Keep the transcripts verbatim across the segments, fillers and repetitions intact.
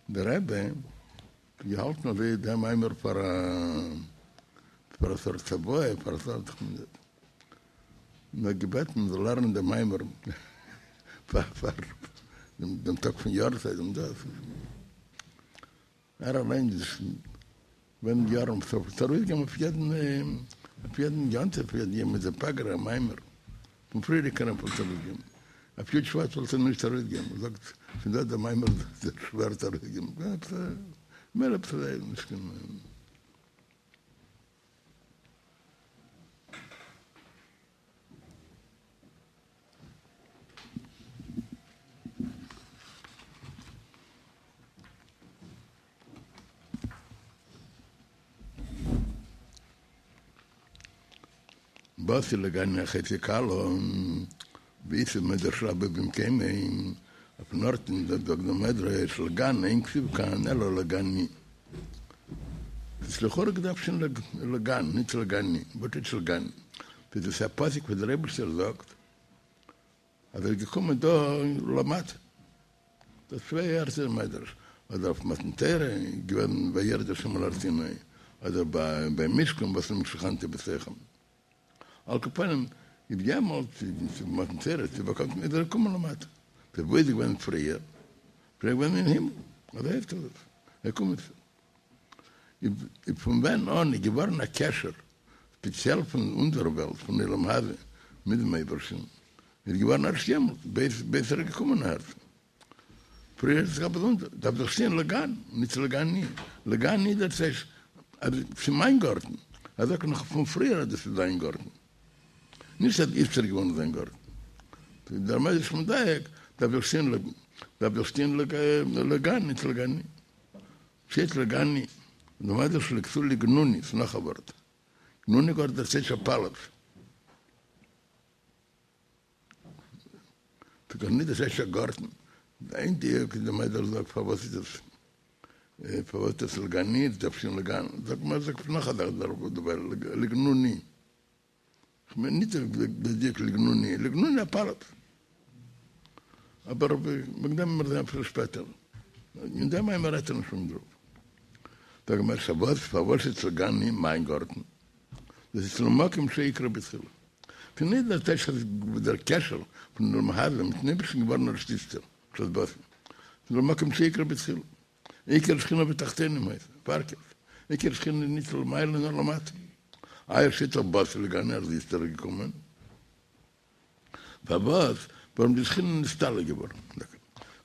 דער רבי האט געהאלטן אזוי דעם מאמר פאר א פאר א סארט צוואה, פאר א סארט און האט געבעטן מ'זאל לערנען דעם מאמר פאר פאר דעם טאג פון יארצייט און דאס. ער אליין איז געווען יארן פלעגט ארויסגעבן אויף יעדן אויף יעדן יום טוב אויף יעדן יומא דפגרא א מאמר פון פריערדיגן רבי'ן פלעגט ארויסגעבן אויף י' שבט פלעגט ער נישט ארויסגעבן ער זאגט ס'איז דא דער מאמר איז שווער צו ארויסגעבן עפעס מער עפעס נישט קיין באתי לגני אחותי כלה, ואיתיב מדרש רבה במקומו, אויפן ארט אין זאגט דער מדרש לגן אין כתיב כאן אלא לגני. ס'איז לכאורה געדארפט שטיין לגן, נישט לגני, וואס טייטש לגני? דאס איז א פסוק וואס דער אייבערשטער זאגט אז ער איז געקומען דא למטה, דאס צוויי ערטער אין מדרש, אדער אויף מתן תורה איז געווען וירד השם על הר סיני, אדער ביי משכן באתי שכנתי בתוכם. על כל פנים איז יעמאלט צו מתן תורה צו באקומט איז ער געקומען למטה, טא וואו איז געווען פריער? פריער געווען אין הימל, אזוי הייסט עס, ער קומט איז פון ווען אן איז געווארן א קשר ספעציעל פון אונזער וועלט פון עולם הזה מיט דעם אייבערשטן איז געווארן ערשט יעמאלט בעת בעת ער איז געקומען אהערצו. פריער איז עס געווען באזונדער, דארף דאך שטיין לגן, נישט לגני, לגני דאס הייסט אז ס'איז מיין גארטן, ער זאגט נאך פון פריער אז דאס איז זיין גארטן, נישט אז איצטער איז געווארן זיין גארטן. דער מדרש מדייק, דארף דאך שטיין דארף דאך שטיין לגן, נישט לגני. שטייט לגני, דער מדרש לייגט צו לגנוני, ס'איז נאך א ווארט. גנוני גארטן דאס הייסט א פאלאץ. ס'איז דאך נישט דאס ערשטע גארטן. איין דיוק איז דער מדרש זאגט פארוואס איז דאס פארוואס איז דאס לגני איז דארף שטיין לגן זאגט מען זאגט נאך א זאך דערביי לגנוני כ'מיין נישט דער דיוק לגנוני לגנוני א פאלאץ אבער וועגן דעם וועלן מיר זען אפילו שפעטער אין דעם מאמר רעדט ער נישט פון דערויף זאג מיר פארוואס פארוואס איז לגני מיין גארטן דאס איז למקום שעיקרו בתחילה. ס'איז נישט דער טייטש אז דער קשר פון עולם הזה מיטן אייבערשטן געווארן ערשט איצטער, בשעת באתי. ס'איז למקום שעיקרו בתחילה. עיקר שכינה בתחתונים היתה, פארקערט, עיקר שכינה איז נישט למעלה נאר למטה. איי עס שטייט דאך באתי לגני אז איצטער איז געקומען. פארוואס? ווארום די שכינה איז נסתלק געווארן.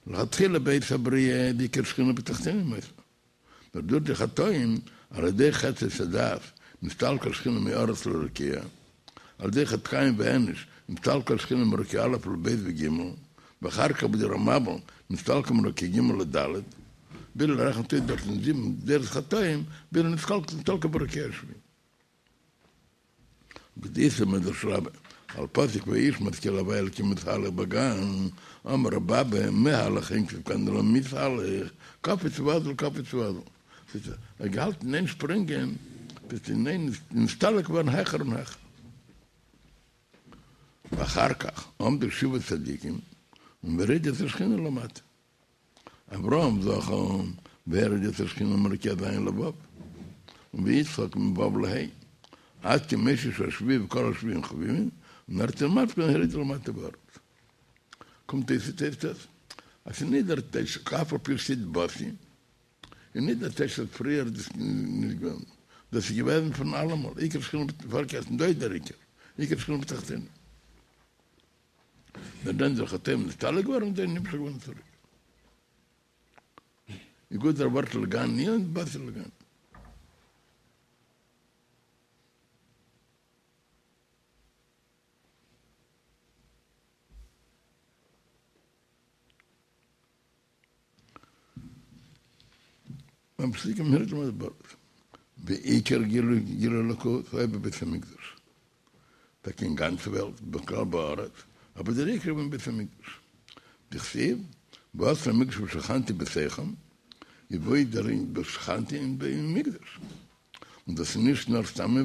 לכתחילה בעת הבריאה איז עיקר שכינה בתחתונים היתה. נאר דורך די חטאים, על ידי חטא עץ הדעת, נסתלקה השכינה מארץ לרקיע, על ידי חטא קין ואנוש, נסתלקה השכינה מרקיע א' לב' וג', ואחר כך בדור המבול, נסתלקה מרקיע ג' לד', ביז ער רעכנט אויס דארטן זיבן דורות חטאים, ביז נסתלקה ברקיע השביעי. ואיתיב מדרש רבה, על פסוק והאיש משכיל הוי' אלקים מתהלך בגן, אמר רבי אבא, מהלך אין כתיב כאן אלא מתהלך, קפץ ואזל קפץ ואזל. ס'איז ער האט געהאלטן אין איין שפרינגען, ביז אין איין נסתלק געווארן העכער און העכער. ואחר כך עמדו שבעה צדיקים והורידו את השכינה למטה. אברהם זכה והוריד את השכינה מרקיע ז' לו', ויצחק מו' לה', עד כמות שהשביעי וכל השביעים חביבין, און דארט אין למטה הורידו למטה בארץ. קומט אויס איז הייסט עס אז ס'איז נישט דער טייטש אף על פי שטייט באתי, איז נישט דער טייטש אז פריער איז דאס נישט געווען, דאס איז געוועזן פון אלעמאל, עיקר שכינה פארקערט און דא איז דער עיקר, עיקר שכינה בתחתונים. נאר דען דורך חטאים נסתלק געווארן און דען נמשך געווארן צוריק. איז גוט דער ווארט לגני און באתי לגני. ממשיכים הורידו למטה בארץ. ועיקר גילוי גילוי אלוקות היה בבית המקדש. טאקע אין גאנצע וועלט, בכלל בארץ, אבער דער עיקר אין בית המקדש. דכתיב, ועשו לי מקדש ושכנתי בתוכם, איז וואו איז דער ושכנתי אין מקדש. און דאס איז נישט נאר סתם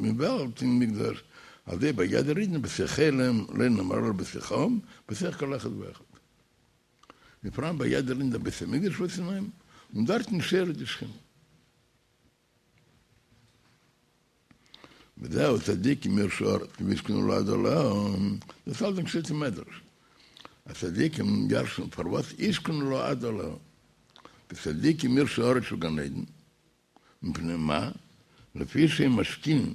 אין וועלט אין מקדש, אזוי ביי יעדער אידן בתוך העולם, לא נאמר אלא בתוכם, בתוך כל אחד ואחד. און פאראן ביי יעדער אידן דער בית המקדש וואס אין אים, און דארטן שורה די שכינה. וזהו צדיקים יירשו ארץ וישכנו לעד עליה, דאס אלץ שטייט אין מדרש אז צדיקים ירש'ן פארוואס ישכנו לעד עליה, די צדיקים יירשו ארץ שהוא גן עדן, מפני מה? לפי שהם משכינים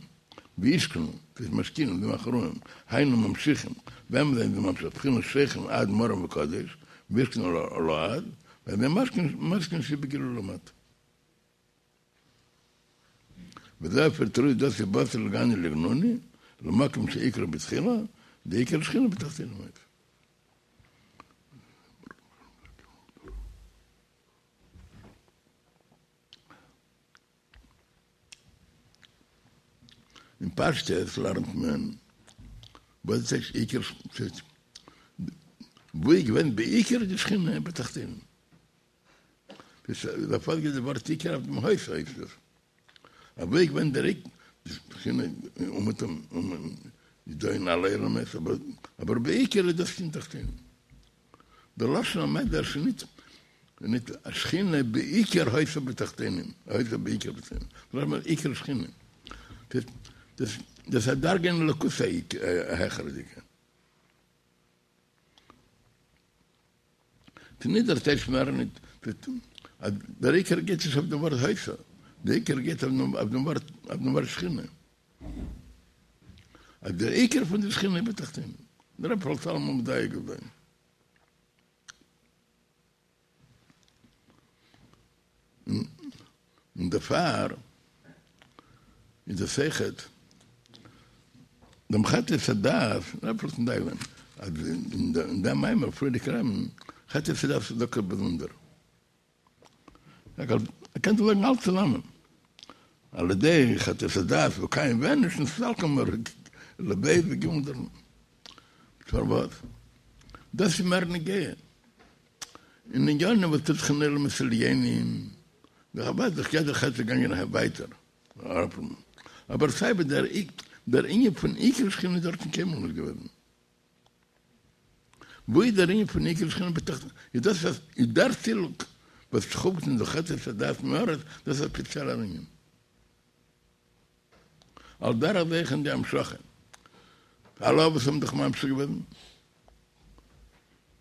וישכנו, דאס משכינים זיי מאכן רוען, היינו ממשיכים, וועמען זענען זיי ממשיך, בחינת שוכן עד מרום וקדוש, וישכנו לעד, ועל ידי משכין שבגילוי למטה. וזה אפי' דאס איז באתי לגני לגנוני, למקום שעיקרו בתחילה, דעיקר שכינה בתחתונים היתה. אין פשטות לערנט מען וואס איז עיקר וואו איז געווען בעיקר די שכינה בתחתונים. דערפאר גייט די ווארט עיקר אויף דעם היתה הייסט עס. אבער וואו איז געווען דער עיקר די שכינה אומעטום איז דא אין אלע עולמות אבער בעיקר איז דאס אין תחתונים. דער לשון המדרש איז ניט ניט השכינה בעיקר היתה בתחתונים, היתה בעיקר בתחתונים, דאס מיינט עיקר שכינה. דאס דאס איז א דרגה אין אלוקות א העכערדיגע. ס'איז ניט דער טייטש מער ניט אז דער עיקר גייט נישט אויף דעם ווארט היתה, דער עיקר גייט אויף דעם ווארט אויף דעם ווארט שכינה. אז דער עיקר פון די שכינה איז בתחתונים. דער רבי פלעגט אלעמאל מדייק זיין. און דערפאר איז דאס אויכעט דעם חטא עץ הדעת, דער רבי פלעגט מדייק זיין אז אין דעם מאמר פריערדיגן רבי'ן חטא עץ הדעת איז דוקא באזונדער. ער קען דאך זאגן אלץ צוזאמען, על ידי חטא עץ הדעת וקין ואנוש נסתלקה לב' וג' דערנאך. פארוואס? דאס איז מער נוגע אין ענינים וואס טוט זיך אין עולמות עליונים, אוודאי דאך יעדער חטא איז געגאנגען ווייטער, אבער סיי ווי דער ענין פון עיקר שכינה איז דארטן קיינמאל נישט געוועזן. וואו איז דער ענין פון עיקר שכינה בתחתונים? איז דאס וואס איז דער סילוק וואס ס'קומט אין די חטא עץ הדעת מהארץ, דאס איז א ספעציעלער ענין. על דרך זה אויך אין די המשכה. אלע אבות האבן דאך ממשיך געוועזן,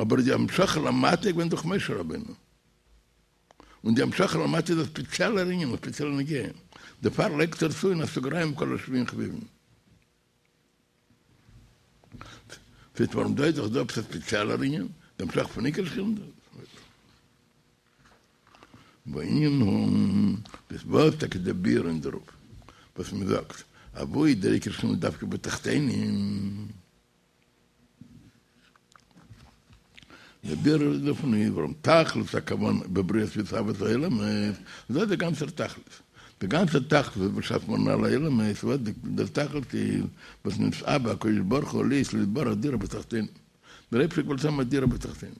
אבער די המשכה למטה איז געווען דורך משה רבינו. און די המשכה למטה איז א ספעציעלער ענין, א ספעציעלע נגיעה. דערפאר לייגט ער צו אין א סוגריים כל השבויים חביבים. ס'הייסט ווארום דא איז דאך דא עפעס א ספעציעלער ענין, די המשכה פון עיקר שכינה. והענין הוא, דאס וואס טאקע דער ביאור אין דערויף וואס מען זאגט, אז וואו איז דער עיקר שכינה דווקא בתחתונים? דער ביאור דערפון איז ווארום תכלית הכוונה בבריאת והתהוות העולמות, דאס איז דער גאנצער תכלית, דער גאנצער תכלית וואס באשאפט געווארן אלע עולמות, וואס דער תכלית איז וואס נתאווה הקדוש ברוך הוא להיות לו יתברך דירה בתחתונים, דער אייבערשטער האט געוואלט האבן א דירה בתחתונים.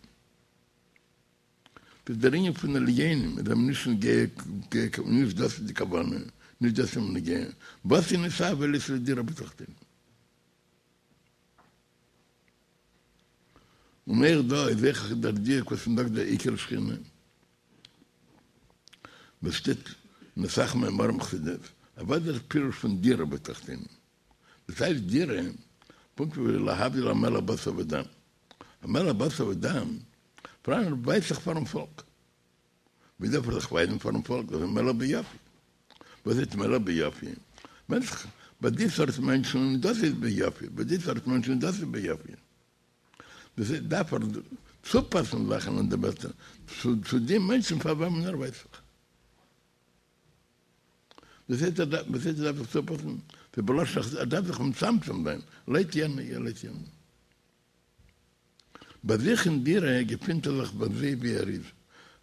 דאס איז דער ענין פון עליונים, איז אים נישט נוגע, נישט דאס איז די כוונה, נישט דאס איז אים נוגע, וואס איז נתאווה להיות לו דירה בתחתונים. און אויך דא איז אויך דער דיוק וואס מען זאגט דער עיקר שכינה, וואס שטייט אין אסאך מאמרים חסידות, אז וואס איז דער פירוש פון דירה בתחתונים? דאס הייסט דירה, פונקט ווי להבדיל א מלך בשר ודם, א מלך בשר ודם פאראן ער ווייזט זיך פארן פאלק, ווי דארף ער זיך ווייזן פארן פאלק? דאס איז מלך ביופי. וואס הייסט מלך ביופי? ווענדט זיך ביי די סארט מענטשן דאס איז ביופי, ביי די סארט מענטשן דאס איז ביופי. דאס הייסט דארף ער צופאסן זאכן און די בעסטע צו די מענטשן פאר וועמען ער ווייזט זיך. דאס הייסט ער דארף, וואס הייסט ער דארף זיך צופאסן? ס'איז בלשון ער דארף זיך מצמצם זיין לויט יענע לויט יענע. ביי זיך אין דירה געפינט ער זיך אזוי ווי ער איז,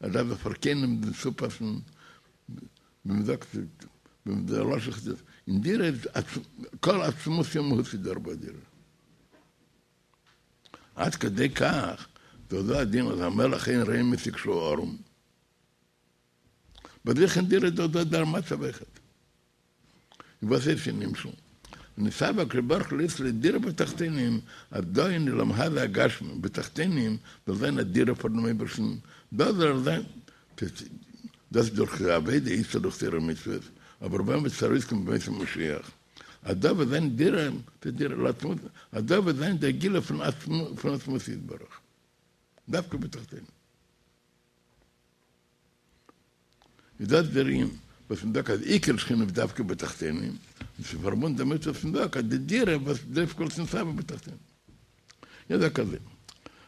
ער דארף זיך פאר קיינעם נישט צופאסן, ווי מען זאגט, ווי דער לשון חסידות, אין דירה איז כל עצמותו ומהותו דארט ביי דירה. עד כדי כך, דאך דא א דין אז המלך אין רואין אותו כשהוא ערום. ביי זיך אין דירה איז דאך דא דער מצב אויכעט. און וואס איז אין נמשל? נתאווה הקדוש ברוך הוא להיות לו דירה בתחתונים, אז דא אין עולם הזה הגשמי בתחתונים זאל זיין א דירה פאר דעם אייבערשטן, דא זאל ער זיין, דאס דורך עבודה איז דורך תורה ומצוות, אבער ווען וועט עס ארויסקומען בימות המשיח? אז דא וועט זיין דירה, דירה לעצמות, אז דא וועט זיין דער גילוי פון פון עצמות יתברך, דווקא בתחתונים. איז דאס דער ענין וואס מען זאגט אז עיקר שכינה איז דווקא בתחתונים, און ס'איז פארבונדן דערמיט וואס מען זאגט אז די דירה וואס דווקא וואס נתאוה בתחתונים. איך זאג אזוי,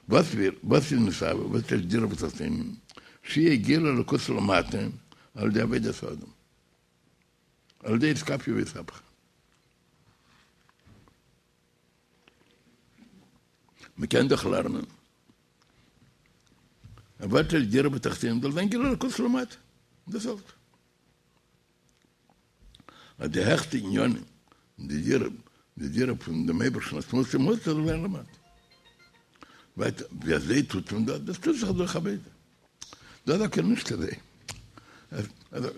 וואס ווער, וואס איז נתאוה, וואס איז דירה בתחתונים, שיהיה גילוי אלוקות למטה על ידי עבודת האדם, על ידי אתכפיא ואתהפכא. מ'קען דאך לערנען. וואס איז דירה בתחתונים זאל זיין גילוי אלוקות למטה. דאס אלץ. אז די העכסטע עניינים, די דירה, די דירה פון דעם אייבערשטן עצמות ומהות זאל זיין למטה. ווייטער, ווי אזוי טוט מען דאס? דאס טוט זיך דורך עבודה. דאס זאגט ער נישט אזוי.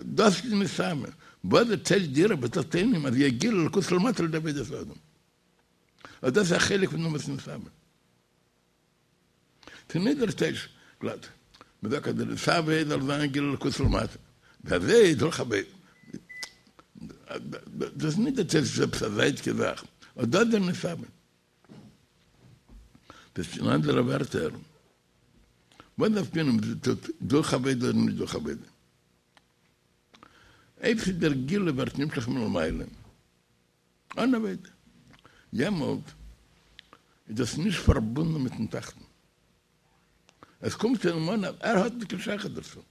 דאס איז נתאוה. וואס דער טייטש דירה בתחתונים אז יהיה גילוי אלוקות למטה על ידי עבודת האדם. אז דאס איז א חלק פון דעם וואס נתאוה. ס'איז נישט דער טייטש גלאט. מ'זאגט אז דער נתאוה זאל זיין גילוי אלוקות למטה. ווי אזוי דורך עבודה. דאס איז נישט דער טייטש ס'איז עפעס א זייטיגע זאך. אט דאס איז דער נתאוה. דאס איז אין אנדערע ווערטער, וואס דארף מען אויב מ'טוט דורך עבודה אדער נישט דורך עבודה? אויב ס'איז דער גילוי ווערט נמשך מלמעלה, אן עבודה, יעמאלט איז דאס נישט פארבונדן מיטן תחתון. עס קומט צו אים אן אז ער האט נישט קיין שייכות דערצו.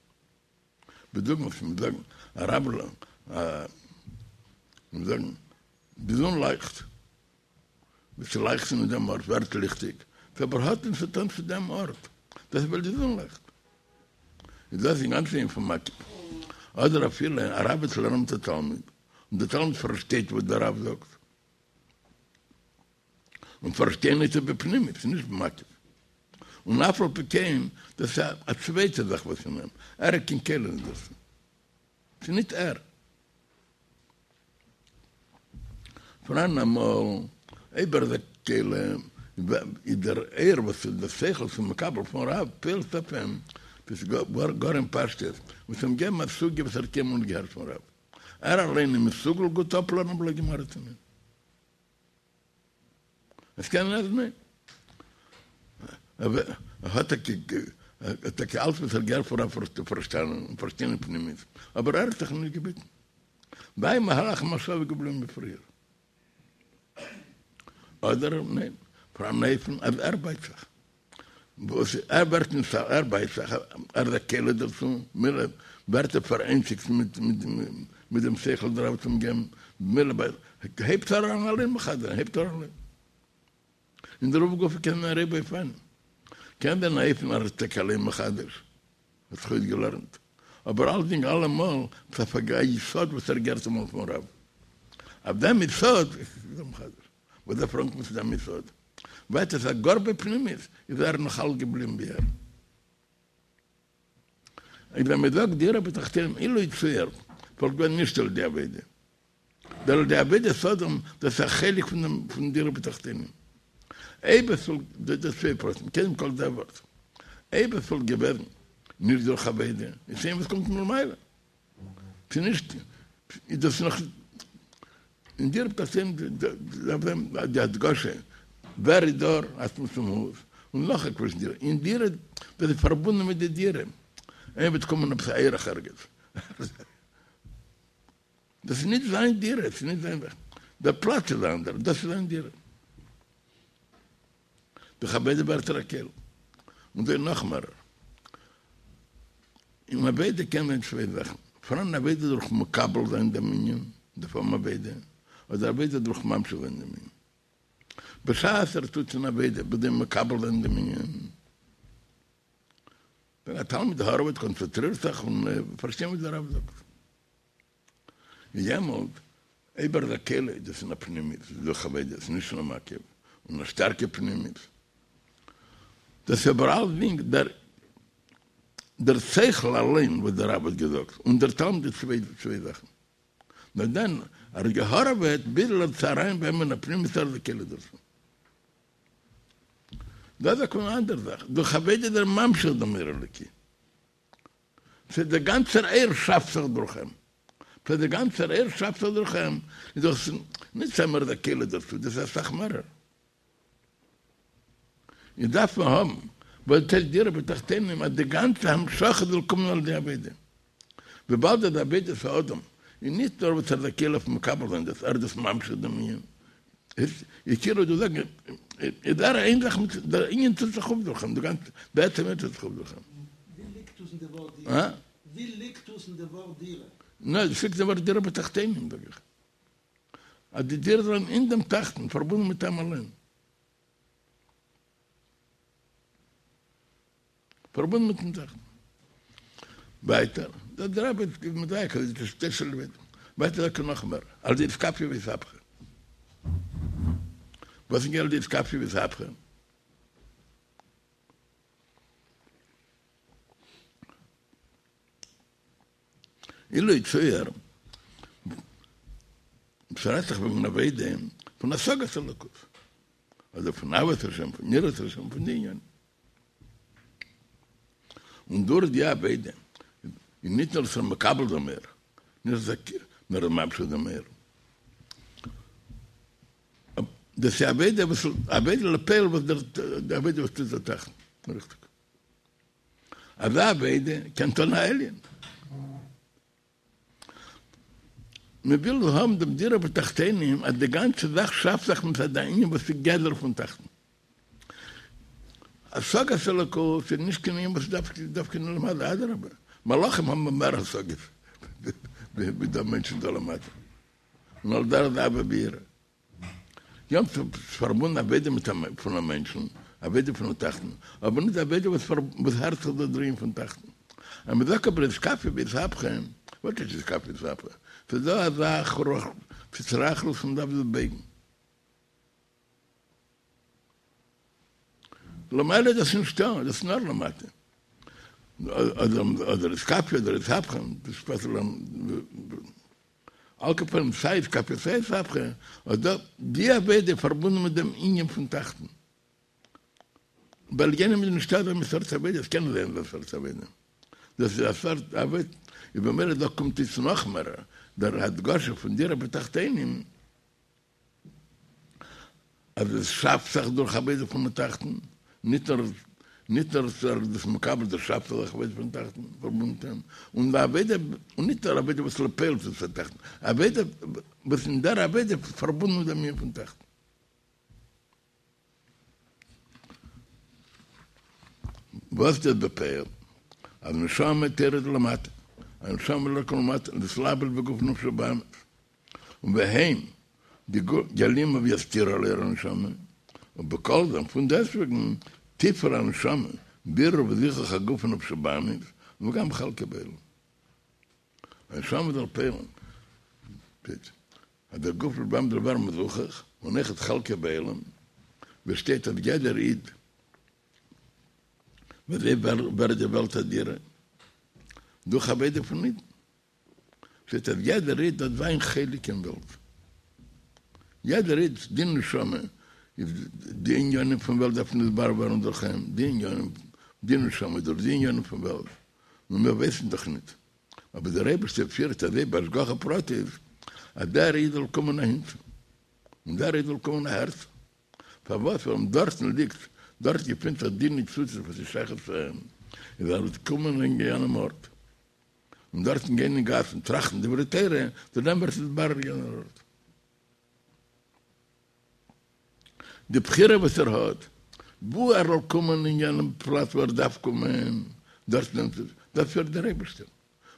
בדוגמא וואס מיר זאגן א רב מיר זאגן די זון לייכט, ווי ס'לייכט אין דעם ארט ווערט ליכטיג, ס'אבער האט נישט צו טון צו דעם ארט, דאס איז ווייל די זון לייכט. איז דאס אינגאנצן ענין פון מקיף. אדער אפילו א רב וועט לערנען מיט א תלמיד, און דער תלמיד פארשטייט וואס דער רב זאגט, און פארשטיין איז ער בפנימיות, ס'איז נישט במקיף. און אף על פי כן, דאס איז א צווייטע זאך וואס אין אים, ער איז קיין כלי נישט דערצו. ס'איז נישט ער. פאראן אמאל, אויב ער איז א כלי, איז דער אור וואס איז דער שכל פון מקבל פון רב פועל'ט אויף אים, דאס איז גאר אין פשטות, וואס אים געבן א סוגיא וואס ער האט קיינמאל נישט געהערט פון רב. ער אליין איז מסוגל גוט אפלערנען א בלאט גמרא צו נישט? עס קען זיין אז ניין. ער האט טאקע אלץ וואס ער האט געהערט פון רב פארשטאנען און פארשטיין אין פנימיות, אבער ער האט זיך נישט געביטן. זיין מהלך המחשבה איז געבליבן ווי פריער. אדער ניין, פאראן אן אופן אז ער בייט זיך. וואס ער ווערט נישט ער בייט זיך, ער איז א כלי דערצו, מילא ווערט ער פאראיינציגט מיט דעם שכל דער רב האט אים געגעבן, מילא הייבט ער אן אליין מחדש זיין, הייבט ער אן אליין. אין דערויף גופא קען זיין ריבוי אופנים, קען זיין אן אופן אז ער איז טאקע אליין מחדש, האט זיך אויסגעלערנט, אבער אלצדינג אלעמאל איז אויף א יסוד וואס ער האט געהערט אמאל פון רב, אויף דעם יסוד איז ער מחדש, וואס דארף ער אנקומען צו דעם יסוד? ווייטער איז גאר בפנימיות איז ער נאך אלץ געבליבן ווי ער. און ווען מען זאגט דירה בתחתונים אילו יצוייר וואלט געווען נישט על ידי עבודה. דער על ידי עבודת האדם דאס איז א חלק פון דעם פון דירה בתחתונים. אויב עס וואלט דא דא צוויי פרטים קודם כל דער ווארט אויב עס וואלט געוועזן נישט דורך עבודה איז שוין וואס קומט מלמעלה. ס'איז נישט, איז דאס נאך אין דירה בתחתונים דארף זיין די הדגשה ווער איז דאר עצמות ומהות, און נאך א קווישן דירה, אין דירה דאס איז פארבונדן מיט די דירה, איינער וועט קומען עפעס א אורח ערגעץ, דאס איז נישט זיין דירה, עס איז נישט זיין זאך, דער פלאץ איז אנדערש, דאס איז זיין דירה. דורך עבודה ווערט ער א כלי. און דא נאך מערער. אין עבודה קען זיין צוויי זאכן. פאראן עבודה דורך מקבל זיין דעם ענין, דער פארם עבודה, אדער עבודה דורך ממשיך זיין דעם ענין. בשעת ער טוט אין עבודה בכדי מקבל זיין דעם ענין, ווען א תלמיד הארעוועט קאנצענטרירט זיך און פארשטיין וואס דער רב זאגט. יעמאלט אויב ער איז א כלי איז דאס אין א פנימיות, איז דורך עבודה, עס איז נישט אין א מקיף, און א שטארקע פנימיות. דאס איז אבער אלסדינג דער דער שכל אליין וואס דער רב האט געזאגט, און דער תלמיד איז צוויי צוויי זאכן. נאר דען ער האט געהארעוועט ביז ער האט אריין ביי אים אין א פנימיות ער איז א כלי דערצו. דאס איז א אנדערע זאך, דורך עבודה איז ער ממשיך דעם אור אלוקי. ס'איז דער גאנצער אור שאפט זיך דורך אים. פאר דער גאנצער אור שאפט זיך דורך אים, איז דאס נישט סתם ער איז א כלי דערצו, דאס איז אסאך מערער. איז דארף מען האבן וואס דאס הייסט דירה בתחתונים אז די גאנצע המשכה זאל קומען על ידי עבודה. וויבאלד אז עבודת האדם איז נישט נאר וואס ער איז א כלי אויף מקבל זיין דאס, ער איז דאס ממשיך דעם ענין. איז כאילו דו זאגן איז דער איין זאך מיט דער ענין טוט זיך אויף דורך אים, די גאנצע בעצם ענין טוט זיך אויף דורך אים. ווי ליגט דאס אין די ווארט דירה? ווי ליגט דאס אין די ווארט דירה? ניין, דאס ליגט אין ווארט דירה בתחתונים זאג איך. אז די דירה זאל זיין אין דעם תחתון, פארבונדן מיט אים אליין. פארבונדן מיטן תחתון. ווייטער, דער דער רבי איז מדייק אז די שתי שאלות ווייטער זאגט ער נאך מער, על ידי אתכפיא ואתהפכא. וואס איז על ידי אתכפיא ואתהפכא? אילו יצוייר, ס'רעדט זיך וועגן עבודה פון השגת אלוקות, אדער פון אהבת השם, פון יראת השם, פון די ענינים. און דורך די עבודה איז נישט נאר ס'איז מקבל דעם אור, נישט נאר ממשיך דעם אור. דאס איז עבודה וואס עבודה לפועל וואס דער עבודה וואס טוט דער תחתון. ריכטיג. אזא עבודה קען טון א עליון. מען וויל האבן דעם דירה בתחתונים אז די גאנצע זאך שאפט זיך מצד הענין וואס איז גדר פון תחתון. השגת אלוקות איז נישט קיין ענין וואס איז דווקא אין למעלה, אדרבה, מלאכים האבן מער השגות ווי די מענטשן דא למטה, און על דרך זה אהבה ויראה. יא ס'איז פארבונדן עבודה מיט א פון א מענטשן, עבודה פון א תחתון, אבער נישט עבודה וואס וואס הערט זיך דא דער ענין פון תחתון. אז מען זאגט אבער אתכפיא ואתהפכא, וואס איז אתכפיא ואתהפכא? ס'איז דא אזא התרחלות וואס מ'דארף זיך בייגן. למעלה איז דאס נישטא, דאס איז נאר למטה. אדער אתכפיא אדער אתהפכא, דאס שפעטער על כל פנים סיי אתכפיא סיי אתהפכא, אט דא די עבודה איז פארבונדן מיט דעם ענין פון תחתון. ביי עליונים איז נישטא אזא מין סארט עבודה, עס קען נישט זיין אזא סארט עבודה. דאס איז א סארט עבודה, איז במילא דא קומט איצט נאכמער דער הדגשה פון דירה בתחתונים, אז עס שאפט זיך דורך עבודה פון תחתון, ניט נאר ניט נאר ער איז דאס מקבל, דאס שאפט זיך עבודה פון תחתון, פארבונדן, און די עבודה, און ניט נאר עבודה וואס לפועל טוט דער תחתון, עבודה וואס אין דער עבודה פארבונדן מיט דעם ענין פון תחתון. וואס דאס בפועל? אז נשמה תרד למטה, א נשמה זאל אראפקומען למטה, להתלבש בגוף נפש הבהמית, און והם די גוף יעלימו ויסתירו על אור הנשמה, ובכל זאת פון דעסטוועגן תפעל הנשמה בירור וזיכוך הגוף ונפש הבהמית, וגם חלקו בעולם. א נשמה זאל פועל'ן, אז דער גוף נפש הבהמית זאל ווערן מזוכך, און אויכעט חלקו בעולם, ווי עס שטייט אז יעדער איד ווי אזוי ווערט די וועלט א דירה דורך עבודה פון אידן, שטייט אז יעדער איד האט זיין חלק אין וועלט, יעדער איד די נשמה איז די עניינים פון וועלט דארפן נתברר ווערן דורך אים, די עניינים, די נשמה דורך די עניינים פון וועלט, נו מיר ווייסן דאך ניט. אבער דער אייבערשטער פירט אזוי בהשגחה פרטית אז דער איד זאל קומען אהינצו און דער איד זאל קומען אהערצו, פארוואס? ווייל דארטן ליגט, דארט געפינט זיך די ניצוצות וואס איז שייך צו אים, איז ער זאל קומען אין יענעם ארט און דארטן גיין אין גאס און טראכטן דברי תורה, צו דעם ווערט נתברר יענער ארט. די בחירה וואס ער האט, וואו ער זאל קומען אין יענעם פלאץ וואו ער דארף קומען, דארט נעמט ער, דאס פירט דער אייבערשטער.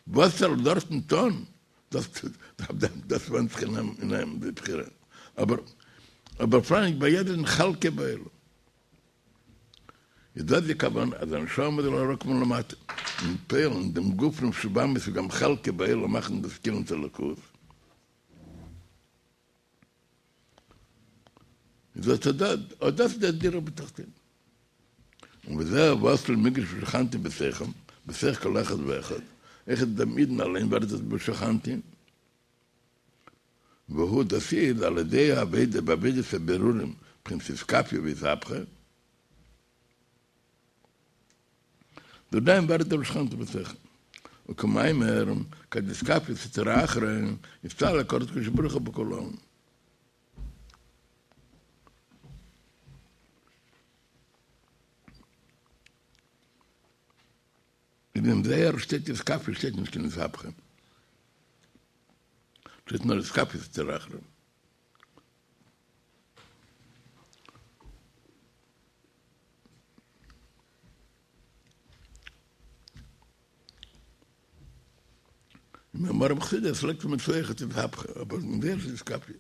וואס ער זאל דארטן טון, דאס דאס ווענדט זיך אין אים, די בחירה. אבער אבער פאראן ביי יעדערן חלקו בעולם. איז דאס די כוונה אז א נשמה זאל אראפקומען למטה און פועל'ן דעם גוף נפש הבהמית וגם חלקו בעולם מאכן דאס כלים צו אלוקות. איז אט אט דאס איז דער דירה בתחתונים. און וזהו ועשו לי מקדש ושכנתי בתוכם, בתוך כל אחד ואחד, אויכעט דעם אידן אליין ווערט דאס ושכנתי, והוא דאס איז על ידי העבודה בעבודת הבירורים בחינת אתכפיא ואתהפכא, דורך דעם ווערט דער ושכנתי בתוכם. וכמאמר, כד אתכפיא סטרא אחרא, אסתלק אור דקודשא בריך הוא בכולא עלמין. אין דעם זוהר שטייט אתכפיא שטייט נישט קיין אתהפכא. שטייט נאר אתכפיא סטרא אחרא. אין מאמרים חסידות לייגט מען צו אויכעט אתהפכא, אבער אין זוהר שטייט אתכפיא.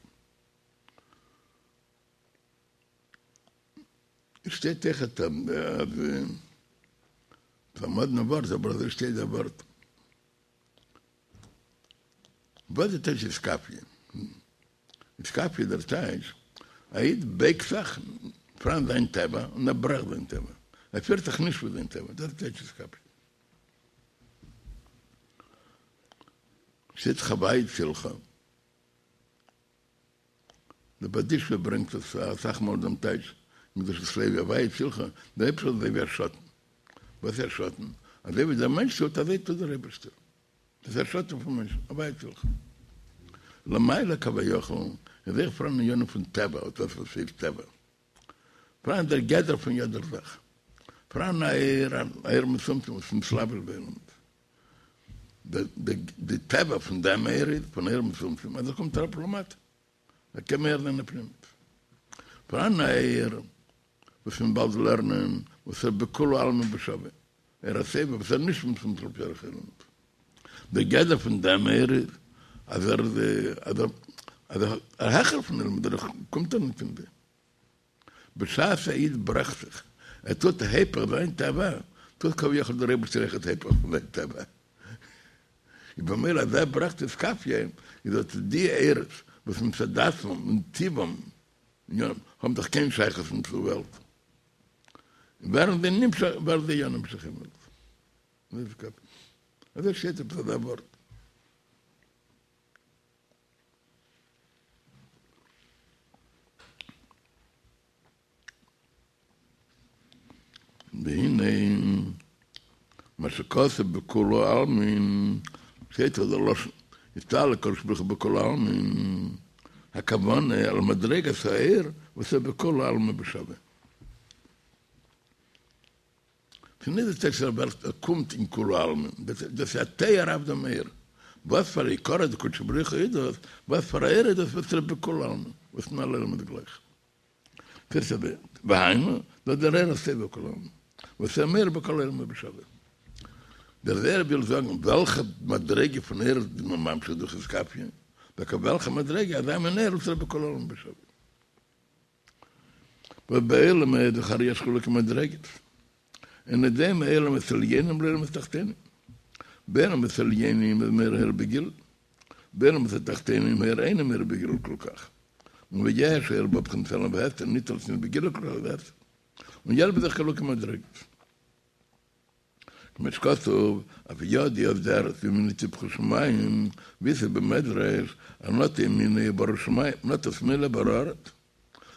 שטייט אויכעט אז ס'איז א מאדנע ווארט אבער אזוי שטייט דער ווארט. וואס איז טייטש אתכפיא? אתכפיא איז דער טייטש, א איד בייגט זיך פאראן זיין טבע און ער ברעכט זיין טבע, ער פירט זיך נישט ווי זיין טבע, דאס איז טייטש אתכפיא. שטייט דאך הוי' צלך. דער בארדיטשובער ברענגט עס אסאך מאל דעם טייטש אין קדושת לוי הוי' צלך, דער אייבערשטער איז אזוי ווי א שאטן. וואס איז א שאטן? אזוי ווי דער מענטש טוט אזוי טוט דער אייבערשטער. דאס איז א שאטן פון מענטשן, הוי' צלך. למעלה כביכול איז אויך פאראן ענינים פון טבע, אט דאס וואס הייסט טבע. פאראן דער גדר פון יעדער זאך. פאראן א אור, אן אור מצומצם וואס איז מתלבש בעולמות. די טבע פון דעם אור איז, פון אור מצומצם, אז ער קומט אראפ למטה. ער קען מאיר זיין אין פנימיות. פאראן א אור וואס מ'וועט באלד לערנען, וואס איז בכולא עלמין בשווה. אור הסובב וואס איז נישט מצומצם לפי ערך העולמות. דער גדר פון דעם אור איז אז ער איז אז ער איז העכער פון עולמות, דערנאך קומט ער נישט אין זיי. בשעת א איד ברעכט זיך, ער טוט היפך זיין טבע, טוט כביכול דער אייבערשטער אויכעט היפך פון זיין טבע. איז במילא אז ער ברעכט אתכפיא, איז אט די אורות וואס מצד עצמם און טבעם האבן דאך קיין שייכות נישט צו וועלט, ווערן זיי נמשך, ווערן זיי יא נמשך אין וועלט. אזוי שטייט עפעס אזא ווארט. והנה מה שכתוב בכולא עלמין, שטייט דאך דער לשון, אסתלק קודשא בריך הוא בכולא עלמין, הכוונה על מדריגת האור וואס איז בכולא עלמין בשווה. ס'איז נישט די טייטש אז ער קומט אין כולא עלמין, דאס איז א תואר אויף דעם אור. וואס פאר א יקרא דקודשא בריך הוא איז דאס, וואס פאר א אור איז דאס וואס איז בכולא עלמין, וואס אין אלע עולמות גלייך. והיינו, דאס דער אור הסובב כל עלמין, וואס ער מאיר בכל העולמות בשווה. דער זוהר וויל זאגן וועלכע מדריגה פון אור איז מען ממשיך דורך אתכפיא, דוקא וועלכע מדריגה אזא מין אור וואס איז בכל העולמות בשווה. וואס בעולם איז דאך הרי יש חילוקי מדריגות, אינו דומה עולמות עליונים לעולמות תחתונים. בעולמות עליונים איז מאיר האור בגילוי, בעולמות התחתונים האור אינו מאיר בגילוי כל כך, און ויש האור בא בבחינת העלם והסתר ניט אלץ ניט בגילוי כל כך והסתר, און יש בזה חילוקי מדריגות. כמו שכתוב, אף ידי אבדה ארץ וימיני טפחו שמים, ואיתא במדרש, אז נטה ימינו ברא שמים, נטה שמאלו ברא ארץ.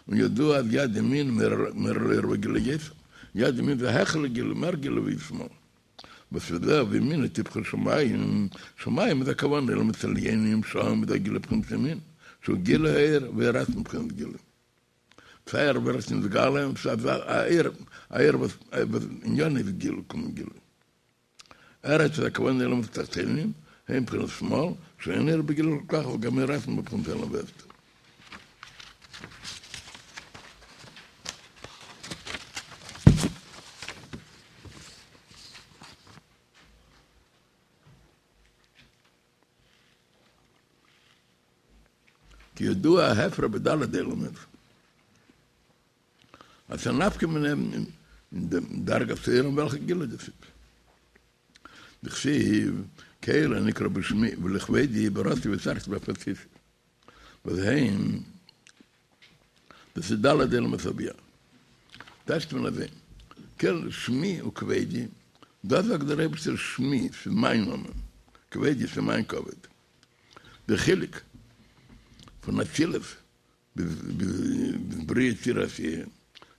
און ידוע אז יד ימין מאירה לאור בגילוי יותר, יד ימין זה העכער לגילוי, מער גילוי ווי שמאל. וואס איז דא וימינו טפחו שמים, שמים איז הכוונה עולמות עליונים שם איז הגילוי בחינת ימין, שהוא גילוי האור והאור עצמו בחינת גילוי. סיי ער ווערט נתגלה און סיי אור, אור וואס ענינו איז גילוי קומט גילוי. ארץ איז הכוונה עולמות התחתונים, הם בחינת שמאל, שאין האור בגילוי כל כך וגם האור עצמו בבחינת העלם והסתר. כידוע ההפרש בד' עולמות, אז ס'איז א נפקא מינה אין דעם דרגת האור און וועלכע גילוי דאס איז. דכתיב, קל הנקרא בשמי ולכבודי בראתי ויצרתי ואף עשיתי. וואס הם, דאס איז ד' עולמות הבי"ע. טייטשט מען אזוי, קל שמי וכבודי, דאס זאגט דער אייבערשטער שמי, ס'איז מיין נאמען, כבודי, ס'איז מיין כבוד. דער חילוק פון אצילות ביז בריאה יצירה עשייה,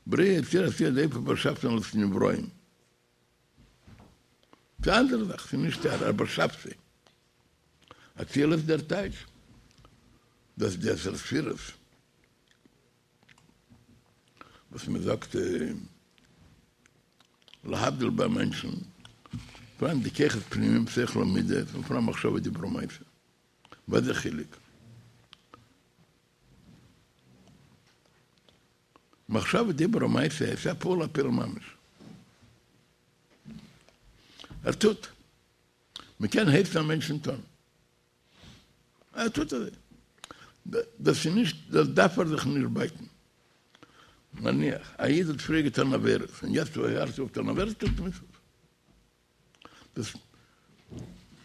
בריאה יצירה עשייה דער אייבערשטער באשאפט אלעס נבראים, ס'איז א אנדערע זאך, ס'איז נישט ער, ער באשאפט זיי. אצילות דער טייטש, דאס די עשר ספירות וואס מען זאגט להבדיל ביי מענטשן, פאראן די כוחות פנימיים שכל ומידות און פאראן מחשבה דיבור ומעשה. וואס איז דער חילוק? מחשבה דיבור ומעשה איז א פעולה פועל ממש. ער טוט. מען קען הייסן א מענטשן טון. ער טוט אזוי. דאס איז נישט, דאס דארף ער זיך נישט בייטן. נניח, א איד האט פריער געטון עבירות, און יעצט הערט ער אויף טון עבירות, טוט מצוות. דאס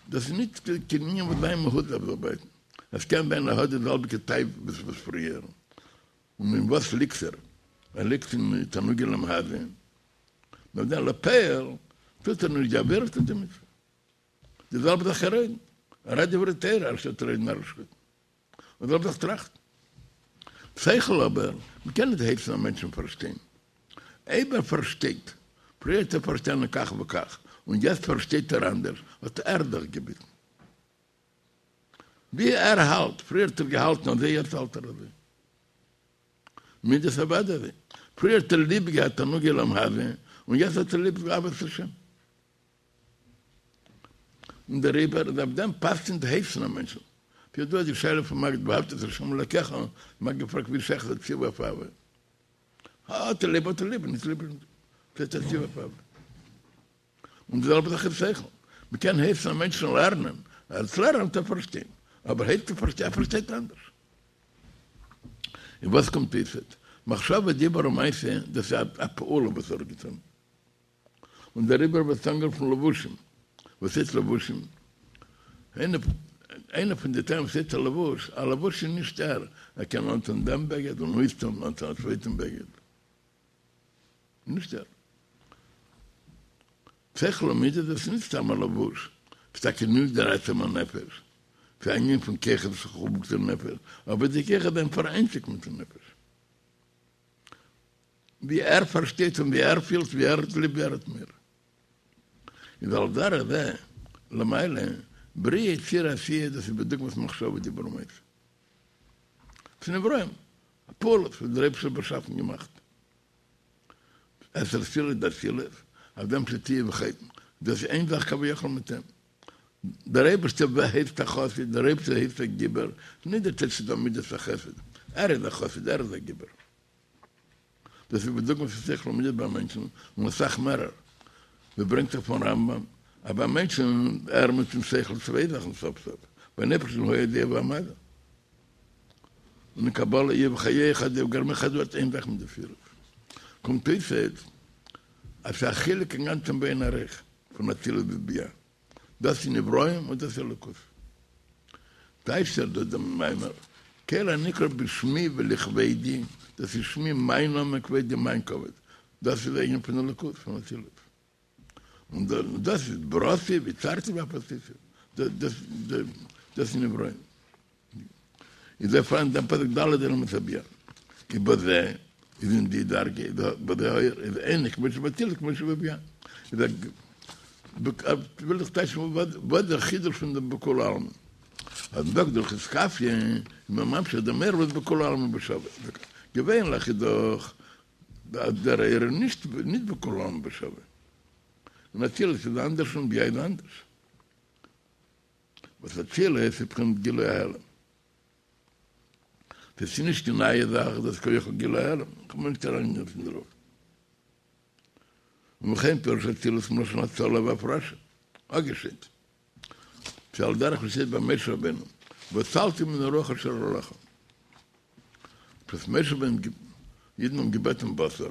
דאס איז נישט קיין ענין וואס זיין מהות דארף זיך בייטן. עס קען זיין ער האט די זעלביגע תאוות וואס פריער. און אין וואס ליגט ער? ער ליגט אין תענוגי עולם הזה. נאר דען לפועל טוט ער נישט די עבירה טוט די מצוה. די זעלבע זאך ער רעדן. ער רעדט דברי תורה אנשטאט רעדן נארישקייטן. און די זעלבע זאך טראכטן. שכל אבער, מ'קען נישט הייסן א מענטשן פארשטיין. אויב ער פארשטייט, פריער האט ער פארשטאנען כך וכך, און יעצט פארשטייט ער אנדערש, האט ער זיך געביטן. ווי ער האלט, פריער האט ער געהאלטן אזוי יעצט האלט ער אזוי. מידות אוודאי אזוי. פריער האט ער ליב געהאט תענוגי עולם הזה, און יעצט האט ער ליב אהבת השם. און דעריבער איז אויף דעם פאסט נישט הייסן א מענטשן. כידוע די שאלה פון מגיד ואהבת את השם אלקיך, מ'האט געפרעגט ווי שייך איז א ציווי אויף אהבה. האט ער ליב האט ער ליב, נישט ליב איז נישט. ס'איז א ציווי אויף אהבה. און די זעלבע זאך איז שכל. מ'קען הייסן א מענטשן לערנען, ער וועט לערנען וועט ער פארשטיין, אבער הייסן פארשטיין, ער פארשטייט אנדערש. און וואס קומט אויסעט? מחשבה דיבור ומעשה, דאס איז א פעולה וואס ער האט געטון. און דעריבער ווערט אנגערופן לבושים. וואס הייסט לבושים? איינע פון די טעמים וואס הייסט א לבוש, א לבוש איז נישט ער, ער קען אנטון דעם בגד און אויסטון און אנטון א צווייטן בגד. נישט ער. שכל ומידות דאס איז נישט סתם א לבוש, ס'איז טאקע נישט דער עצם הנפש, ס'איז א ענין פון כוחות וואס חבוק צום נפש, אבער די כוחות זענען פאראיינציגט מיטן נפש. ווי ער פארשטייט און ווי ער פילט, ווי ער האט ליב, ווי ער האט מורא. איז על דרך זה, למעלה, בריאה יצירה עשייה דאס איז בדוגמת מחשבה דיבור ומעשה. ס'איז נבראים, א פעולה וואס דער אייבערשטער האט באשאפן געמאכט. עשר ספירות דאצילות, אויף דעם שטייט איהו וחי, דאס איז איין זאך כביכול מיט אים. דער אייבערשטער הייסט א חסיד, דער אייבערשטער הייסט א גיבור, נישט דער טייטש ס'איז דא מידת החסד, ער איז א חסיד, ער איז א גיבור. דאס איז בדוגמא פון שכל ומידות ביי מענטשן, און אסאך מערער. ווי ברענגט זיך פון רמב"ם, אז ביי מענטשן ער מיטן שכל צוויי זאכן סוף סוף, ביים אייבערשטן הוא היודע והמדע. און אין קבלה איהו וחיי חד הוא וגרמיה חד ווערט איין זאך מיט די ספירות. קומט אויס אז ס'איז א חילוק אינגאנצן באין ערוך פון אצילות ביז בי"ע. דאס איז נבראים און דאס איז אלוקות. טייטשט ער דא דעם מאמר, כל הנקרא בשמי ולכבודי, דאס איז שמי מיין נאמען כבודי מיין כבוד, דאס איז די ענין פון אלוקות פון אצילות. און דאס איז בראתי ויצרתי ואף עשיתי, דאס איז נבראים. איז דא פאראן דעם פסוק ד' עולמות הבי"ע, איז בזה איז אין די דרגה איז בזה האור איז אינו כמו שבאצילות כמו שבבי"ע, איז א וויל איך טייטשן וואס דער חידוש פון דעם בכולהו עלמין, אז מ'זאגט דורך אתכפיא איז מען ממשיך דעם אור וואס בכולהו עלמין בשווה, געווענליך איז דאך אז דער אור איז נישט נישט בכולהו עלמין בשווה, אין אצילות איז אנדערש און בי"ע איז אנדערש. וואס אצילות איז בחינת גילוי ההעלם. דאס איז נישט קיין נייע זאך, דאס איז כביכול גילוי ההעלם, איך בין נישט אריין אין דערויף. ובכן פירוש אצילות מלשון הצלה והפרשה, אפגעשיידט. שעל דרך וואס שטייט ביי משה רבינו, והצלתי מן הרוח אשר עליך. וואס משה רבינו, אידן האבן געבעטן בשר,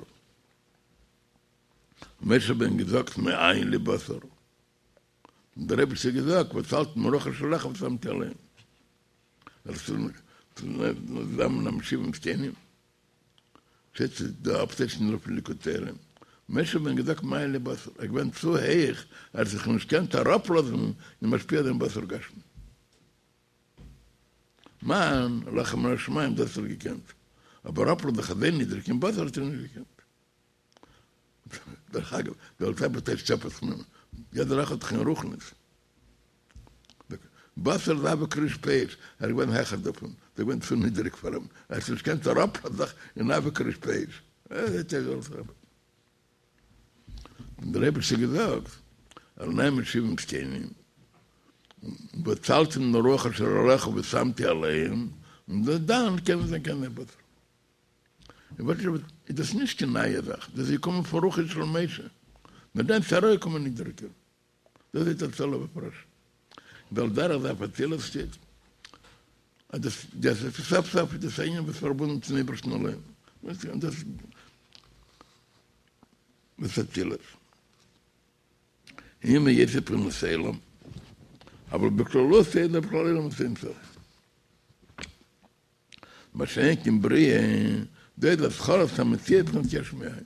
משה רבינו געזאגט מאין לי בשר. און דער אייבערשטער האט געזאגט והצלתי מן הרוח אשר עליך ושמתי עליהם. צוזאמען שבעים זקנים. שטייט דא אפטייטשן דערויף אין ליקוטי תורה. משה רבינו געזאגט מאין לי בשר, ער איז געווען צו הויך, ער האט זיך נישט געקענט אראפלאזן און משפיע זיין בשר גשמי. מן, לחם מן השמים, דאס האט ער געקענט. אבער אראפלאזן זיך אזוי נידריג אין בשר האט ער נישט געקענט. דרך אגב, דער אלטער רבי טייטשט אפ אז יעדער אחד האט רוחניות. בשר זה אבק ריש פאות, ער איז געווען העכער דערפון, דאס איז געווען צו נידעריג פאר אים, ער האט נישט געקענט אראפלאזן זיך אין אבק ריש פאות. ער האט געזאגט, און דער אייבערשטער האט געזאגט, ער נעמט שבעים זקנים, ואצלתי מן הרוח אשר עליך ושמתי עליהם, און דאן קען זיין קיין בשר. איז דאס נישט קיין נייע זאך, דאס איז געקומען פון רוחו של משה, נאר דאן איז אראפגעקומען נידעריגער. דאס איז האצלה והפרשה. ועל דרך זה אויף אצילות שטייט, אז דאס דאס איז סוף סוף איז דאס ענין וואס פארבונדן צום אייבערשטן אליין. דאס דאס אצילות. אם יש בחינת עולם, אבל בכללות אין בכלל עולם אין סוף. מה שאין כן בריאה, דאס איז התחלת המציאות בחינת יש מאין.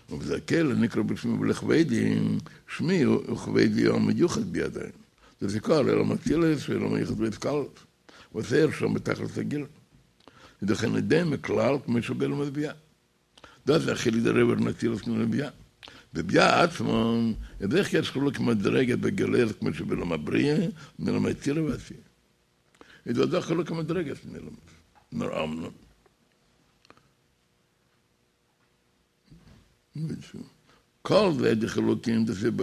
ובזה כל נקרא בשמי ולכבודי, שמי וכבודי המיוחד בי עדיין. דאס איז כל עולם אצילות ועולם היחוד והתכללות. וואס ער שם בתכלית הגילוי. איז דאך אינו דומה כלל כמו שבעולם הבי"ע. דאס איז א חילוק דער אור אין אצילות און בי"ע. בבי"ע עצמו איז אויך יש חילוק מדרגה בגילוי כמו שבעולם הבריאה און עולם היצירה והעשייה. איז דא דאך חילוק מדרגות אין עולמות. נאר אמנם. כל זה די חילוקים דאס איז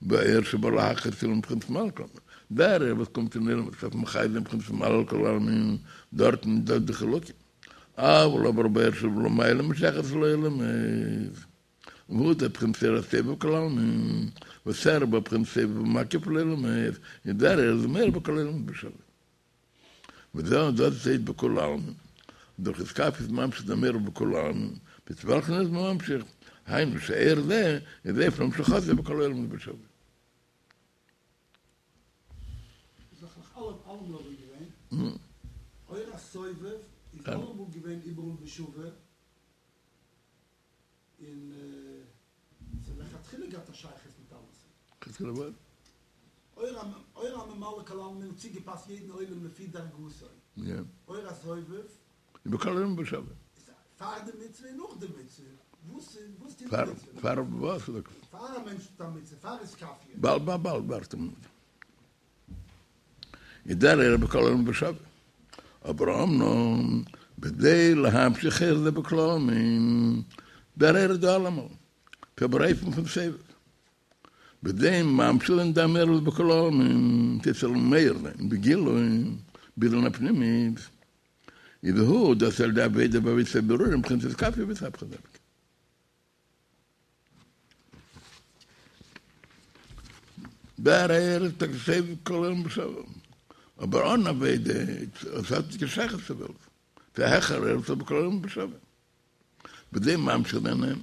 באור שבא להחיות עולם בבחינת ממלא כל עלמין. דער אור וואס קומט אין עולם וואס דארף מחיה זיין בבחינת ממלא כל עלמין, דארטן איז דא די חילוקים. אבל אבער באור שלמעלה משייכות לעולמות. והוא דער בחינת אור הסובב כל עלמין, וואס ער איז בבחינת סובב ומקיף לעולמות, איז דער אור איז מאיר בכל עולמות בשווה. וזהו דאס איז בכל עלמין. דורך אתכפיא איז ממשיך דעם אור בכל עלמין, מיט וועלכן איז מען ממשיך, היינו שאור זה איז אופן המשכתו בכל עולמות בשווה. איז דאך נאך אלעם אלעמאל אזוי געווען. אור הסובב איז אלעמאל געווען איבעראל בשווה. און ס'האט לכתחילה געהאט א שייכות מיט אלעס. לכתחילה וואס? אור הממלא כל עלמין האט צוגעפאסט יעדן עולם לפי דרגתו. יא. אור הסובב. בכל עולמות בשווה. פאר די מצוה און נאך די מצוה. וואס וואס טוט די מצוה? פאר וואס? פאר א מענטש טוט א מצוה, פאר אתכפיא. באלד באלד באלד ווארט א מינוט. איז דער אור בכל עולמות בשווה. אבער אמנם בכדי להמשיך אור זה בכל עלמין, דער אור איז דא אלעמאל, אבער באופן פון סובב. בכדי ממשיך זיין דעם אור בכל עלמין, ס'זאל מאיר זיין בגילוי, ביז אין הפנימית, איז הוא דאס על ידי עבודה בעבודת הבירורים בחינת אתכפיא ואתהפכא דווקא. דער אור איז טאקע סובב כל עולמים בשווה, אבער אן עבודה, עס האט נישט קיין שייכות צו וועלט, ס'איז א העכערער אור סובב כל עולמים בשווה. בכדי ממשיך זיין אים,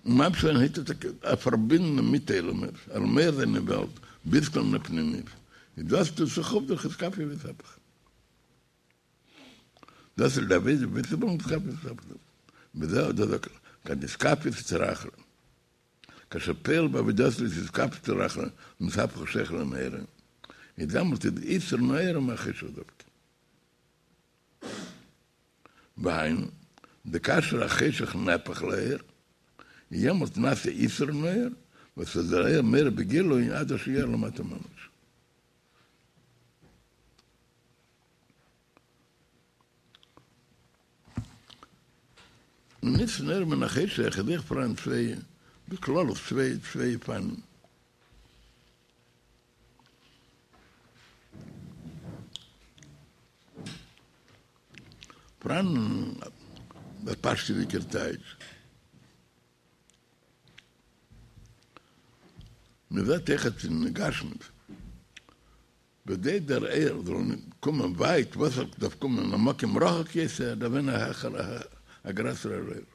און ממשיך זיין הייסט עס טאקע א פארבינדן מיט עולמות, ער זאל מאיר זיין אין וועלט ביז אין פנימיות, איז דאס טוט זיך אויף דורך אתכפיא ואתהפכא. דאס איז דער עבודה בעבודת אתכפיא ואתהפכא. וזהו דאס זאגט ער, כאן אתכפיא סטרא אחרא. כאשר פועל בעבודתו לאתכפיא סטרא אחרא נתהפך חשיכה לנהורא, איז דעמאלט איז יתרון האור מהחשך דווקא. והיינו, דכאשר החשך נהפך לאור, יעמאלט נעשה יתרון האור, וואס איז דער אור מאיר בגילוי עד אשר יאיר למטה ממש. און יתרון האור מן החשך איז אויך פאראן צוויי, בכללות צוויי צוויי אופנים. פאראן דער פשטות'דיגער טייטש. מען זעט אויכעט אין גשמיות. בכדי דער אור זאל קומען ווייט, וואס ער דארף קומען א מקום רחוק יותר, דארף זיין א העכערע, א גרעסערער אור.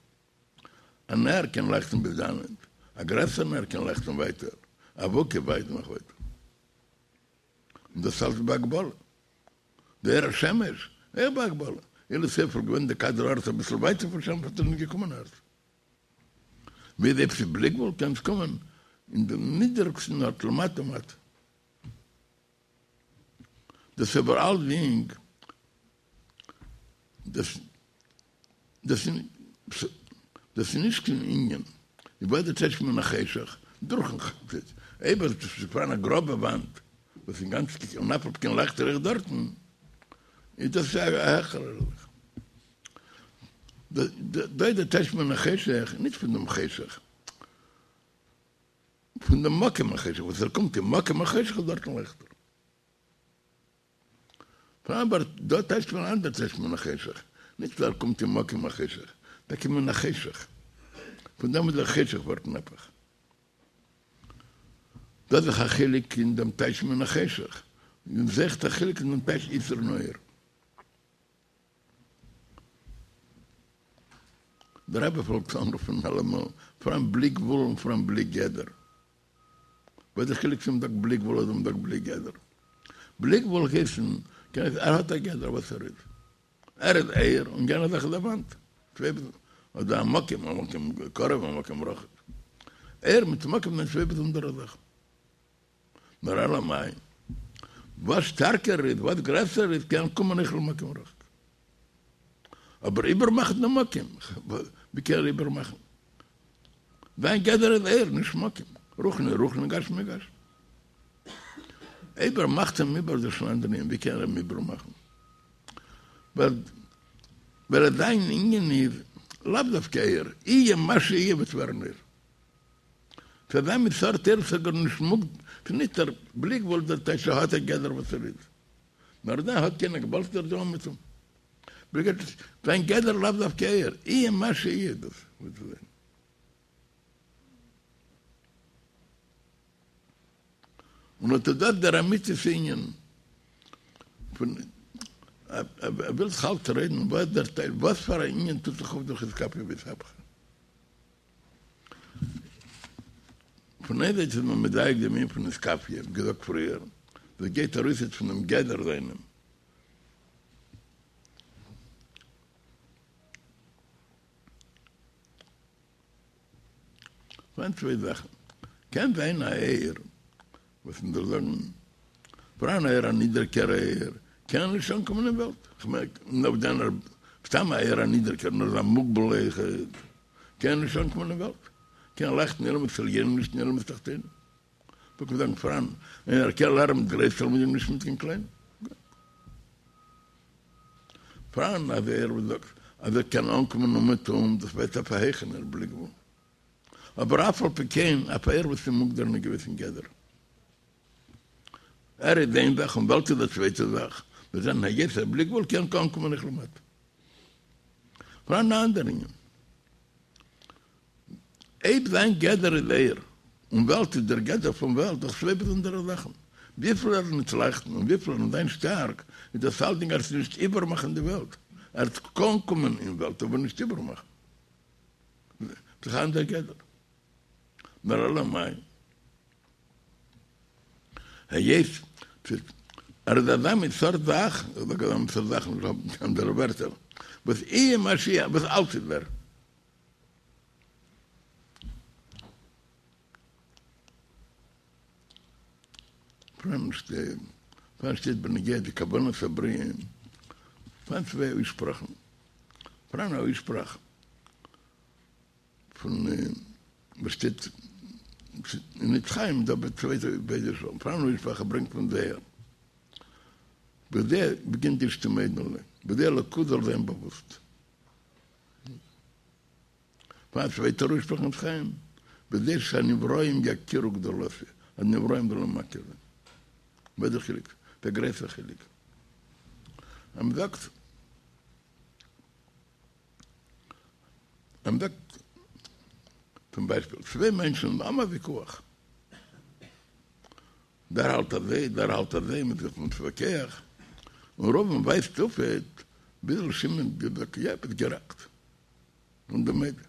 א נר קען לייכטן ביז דאנעט, א גרעסערע נר קען לייכטן ווייטער, אבוקה ווייט נאך ווייטער. און דאס אלץ בהגבלה. דער אור השמש, אויך בהגבלה. אילו ס'וואלט געווען די כדור הארץ אביסל ווייטער פון שמש וואלט ער נישט געקומען ארץ. ווי אזוי עפעס בלי גבול קען עס קומען אין דעם נידעריגסטן ארט למטה מטה. דאס איז אבער אלסדינג דאס דאס דאס איז נישט קיין ענין איז וואס דער טייטש מן החשך? דורכן חשך. אויב עס איז פאראן א גראבע וואנט וואס אינגאנצן און אף על פי כן לייכט ער אויך דארטן, איז דאס א העכערע זאך. דא איז דער טייטש מן החשך נישט פון דעם חשך, פון דעם מקום החשך, וואס ער קומט אין מקום החשך און דארטן לייכט ער. פאראן אבער דא טייטשט מען אנדער טייטש מן החשך, נישט ווייל ער קומט אין מקום החשך, טאקע מן החשך, פון דעם וואס דער חשך ווערט נהפך. דא איז דאך א חילוק אין דעם טייטש מן החשך, און אויכעט א חילוק אין דעם טייטש יתרון האור. דער רבי פלעגט אנרופן אלעמאל, פאראן בלי גבול און פאראן בלי גדר. וואס איז די חילוק צו מ'זאגט בלי גבול אדער מ'זאגט בלי גדר? בלי גבול הייסן קען עס ער האט א גדר וואס ער איז. ער איז אור און יענע זאך איז א וואנט. צוויי אדער א מקום, א מקום קרוב א מקום רחוק. אור מיט מקום זענען צוויי באזונדערע זאכן. נאר אלא מאי, וואס שטארקער איז, וואס גרעסער איז, קען קומען אויך למקום רחוק. אבער איבערמאכן דעם מקום, ווי קען ער איבערמאכן? זיין גדר איז אור, נישט מקום. רוחני רוחני, גשמי גשמי. אויב ער מאכט אים איבער דאס שוין אן אנדער ענין, ווי קען ער אים איבערמאכן? ווייל זיין ענין איז לאו דווקא אור, יהיה מה שיהיה וועט ווערן אור. ס'איז אזא מין סארט אור ס'איז גארנישט מוגבל, ס'איז נישט ער בלי גבול דער טייטש ער האט א גדר וואס ער איז, נאר דער האט קיין הגבלות דער דא אומעטום. זיין גדר לאו דווקא אור, יהיה מה שיהיה דאס וועט זיין. און אט איז דאס דער אמיתית ענין פון ער וויל זיך אלץ רעדן וואס דער טייטש וואס פאר א ענין טוט זיך אויף דורך אתכפיא ואתהפכא. פון איין זייט איז מען מדייק דעם ענין פון אתכפיא, ווי געזאגט פריער, דאס גייט ארויס יעצט פונעם גדר זיינעם. פאראן צוויי זאכן. קען זיין א אור, וואס מען זאל זאגן, פאראן אור א נידעריקער אור, קען נישט אנקומען אין וועלט. כ'מיין, נאר דען סתם א אור א נידעריקער, נאר אזא מוגבל אויכעט, קען נישט אנקומען אין וועלט. קען לייכטן אין עולמות עליונים נישט אין עולמות תחתונים. וואלט מען זאגן פאראן איינער קען לערנען מיט גרויסע תלמידים נישט מיט קיין קליינע. פאראן אן אור וואס זאגט אז ער קען אנקומען אומעטום, דאס ווערט אויף א העכערן בלי גבול. אבער אף על פי כן אויף א אור וואס איז מוגדר אין א געוויסן גדר. ער איז איין זאך און וועלט איז א צווייטע זאך, מיר זענען היות ער בלי גבול קען אנקומען אויך למטה. פאראן אן אנדער ענין. אויב זיין גדר איז אור, און וועלט איז דער גדר פון וועלט, דאך צוויי באזונדערע זאכן. וויפיל ער וועט לייכטן און וויפיל ער וועט זיין שטארק, איז דאס אלדינג אז נישט איבערמאכן די וועלט. ער וועט אנקומען אין וועלט אבער נישט איבערמאכן. ס'איז אן אנדער גדר. נאר אלא מאי. היות ער איז אזא מין סארט זאך, איך זאג אזא מין סארט זאך, נישט האבן אנדערע ווערטער, וואס יהיה מה שיהיה, וואס אלץ איז ער. פאראן שטייט בנוגע די כוונת הבריאה, פאראן צוויי אויסשפראכן, פאראן א אויסשפראך פון וואס שטייט אין עץ חיים דא ביי צווייטע ביידע שלבים, פאראן א אויסשפראך ער ברענגט פון זוהר, בכדי בגין דאשתמודעון ליה, בכדי אלוקות זאל זיין באוואוסט. פאראן א צווייטער אויסשפראך אין עץ חיים, בכדי שהנבראים יכירו גדולתי, אז נבראים זאלן מכיר זיין. וואס איז דער חילוק? דער גרויסער חילוק. אז מען זאגט, אז מען זאגט, צום ביישפיל, צוויי מענטשן האבן א ויכוח. דער האלט אזוי, דער האלט אזוי, מען איז זיך מתווכח, און ראובן ווייזט אויפעט, ביזל שמעון געזאגט, יא, ביסט גערעכט. און די מדה.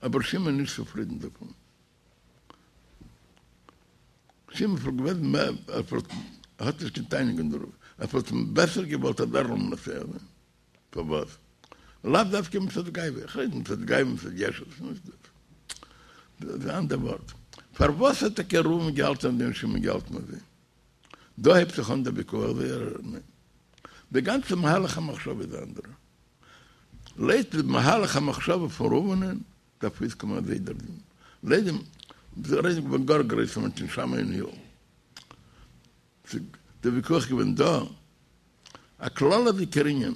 אבער שמעון נישט צופרידן דערפון. שמעון וואלט געווען מער, ער וואלט, ער האט נישט קיין תענוג אין דערויף, ער וואלט בעסער געוואלט אז ער זאל מנצח זיין. פארוואס? לאו דווקא מצד גאווה, איך רעד מצד גאווה מצד ישות, נישט דאס. דאס איז א אנדער ווארט. פארוואס האט טאקע ראובן געהאלטן אזוי און שמעון געהאלטן אזוי? דא הייבט זיך אן דער ויכוח זייערער. ניין. די גאנצע מהלך המחשבה איז א אנדערע. לויט די מהלך המחשבה פון ראובנ'ען דארף אויסקומען אזוי דער דין, לויט דעם רעדן געווען גאר גרויסע מענטשן שמאי און הלל. דער וויכוח געווען דא א כללות'דיגער ענין,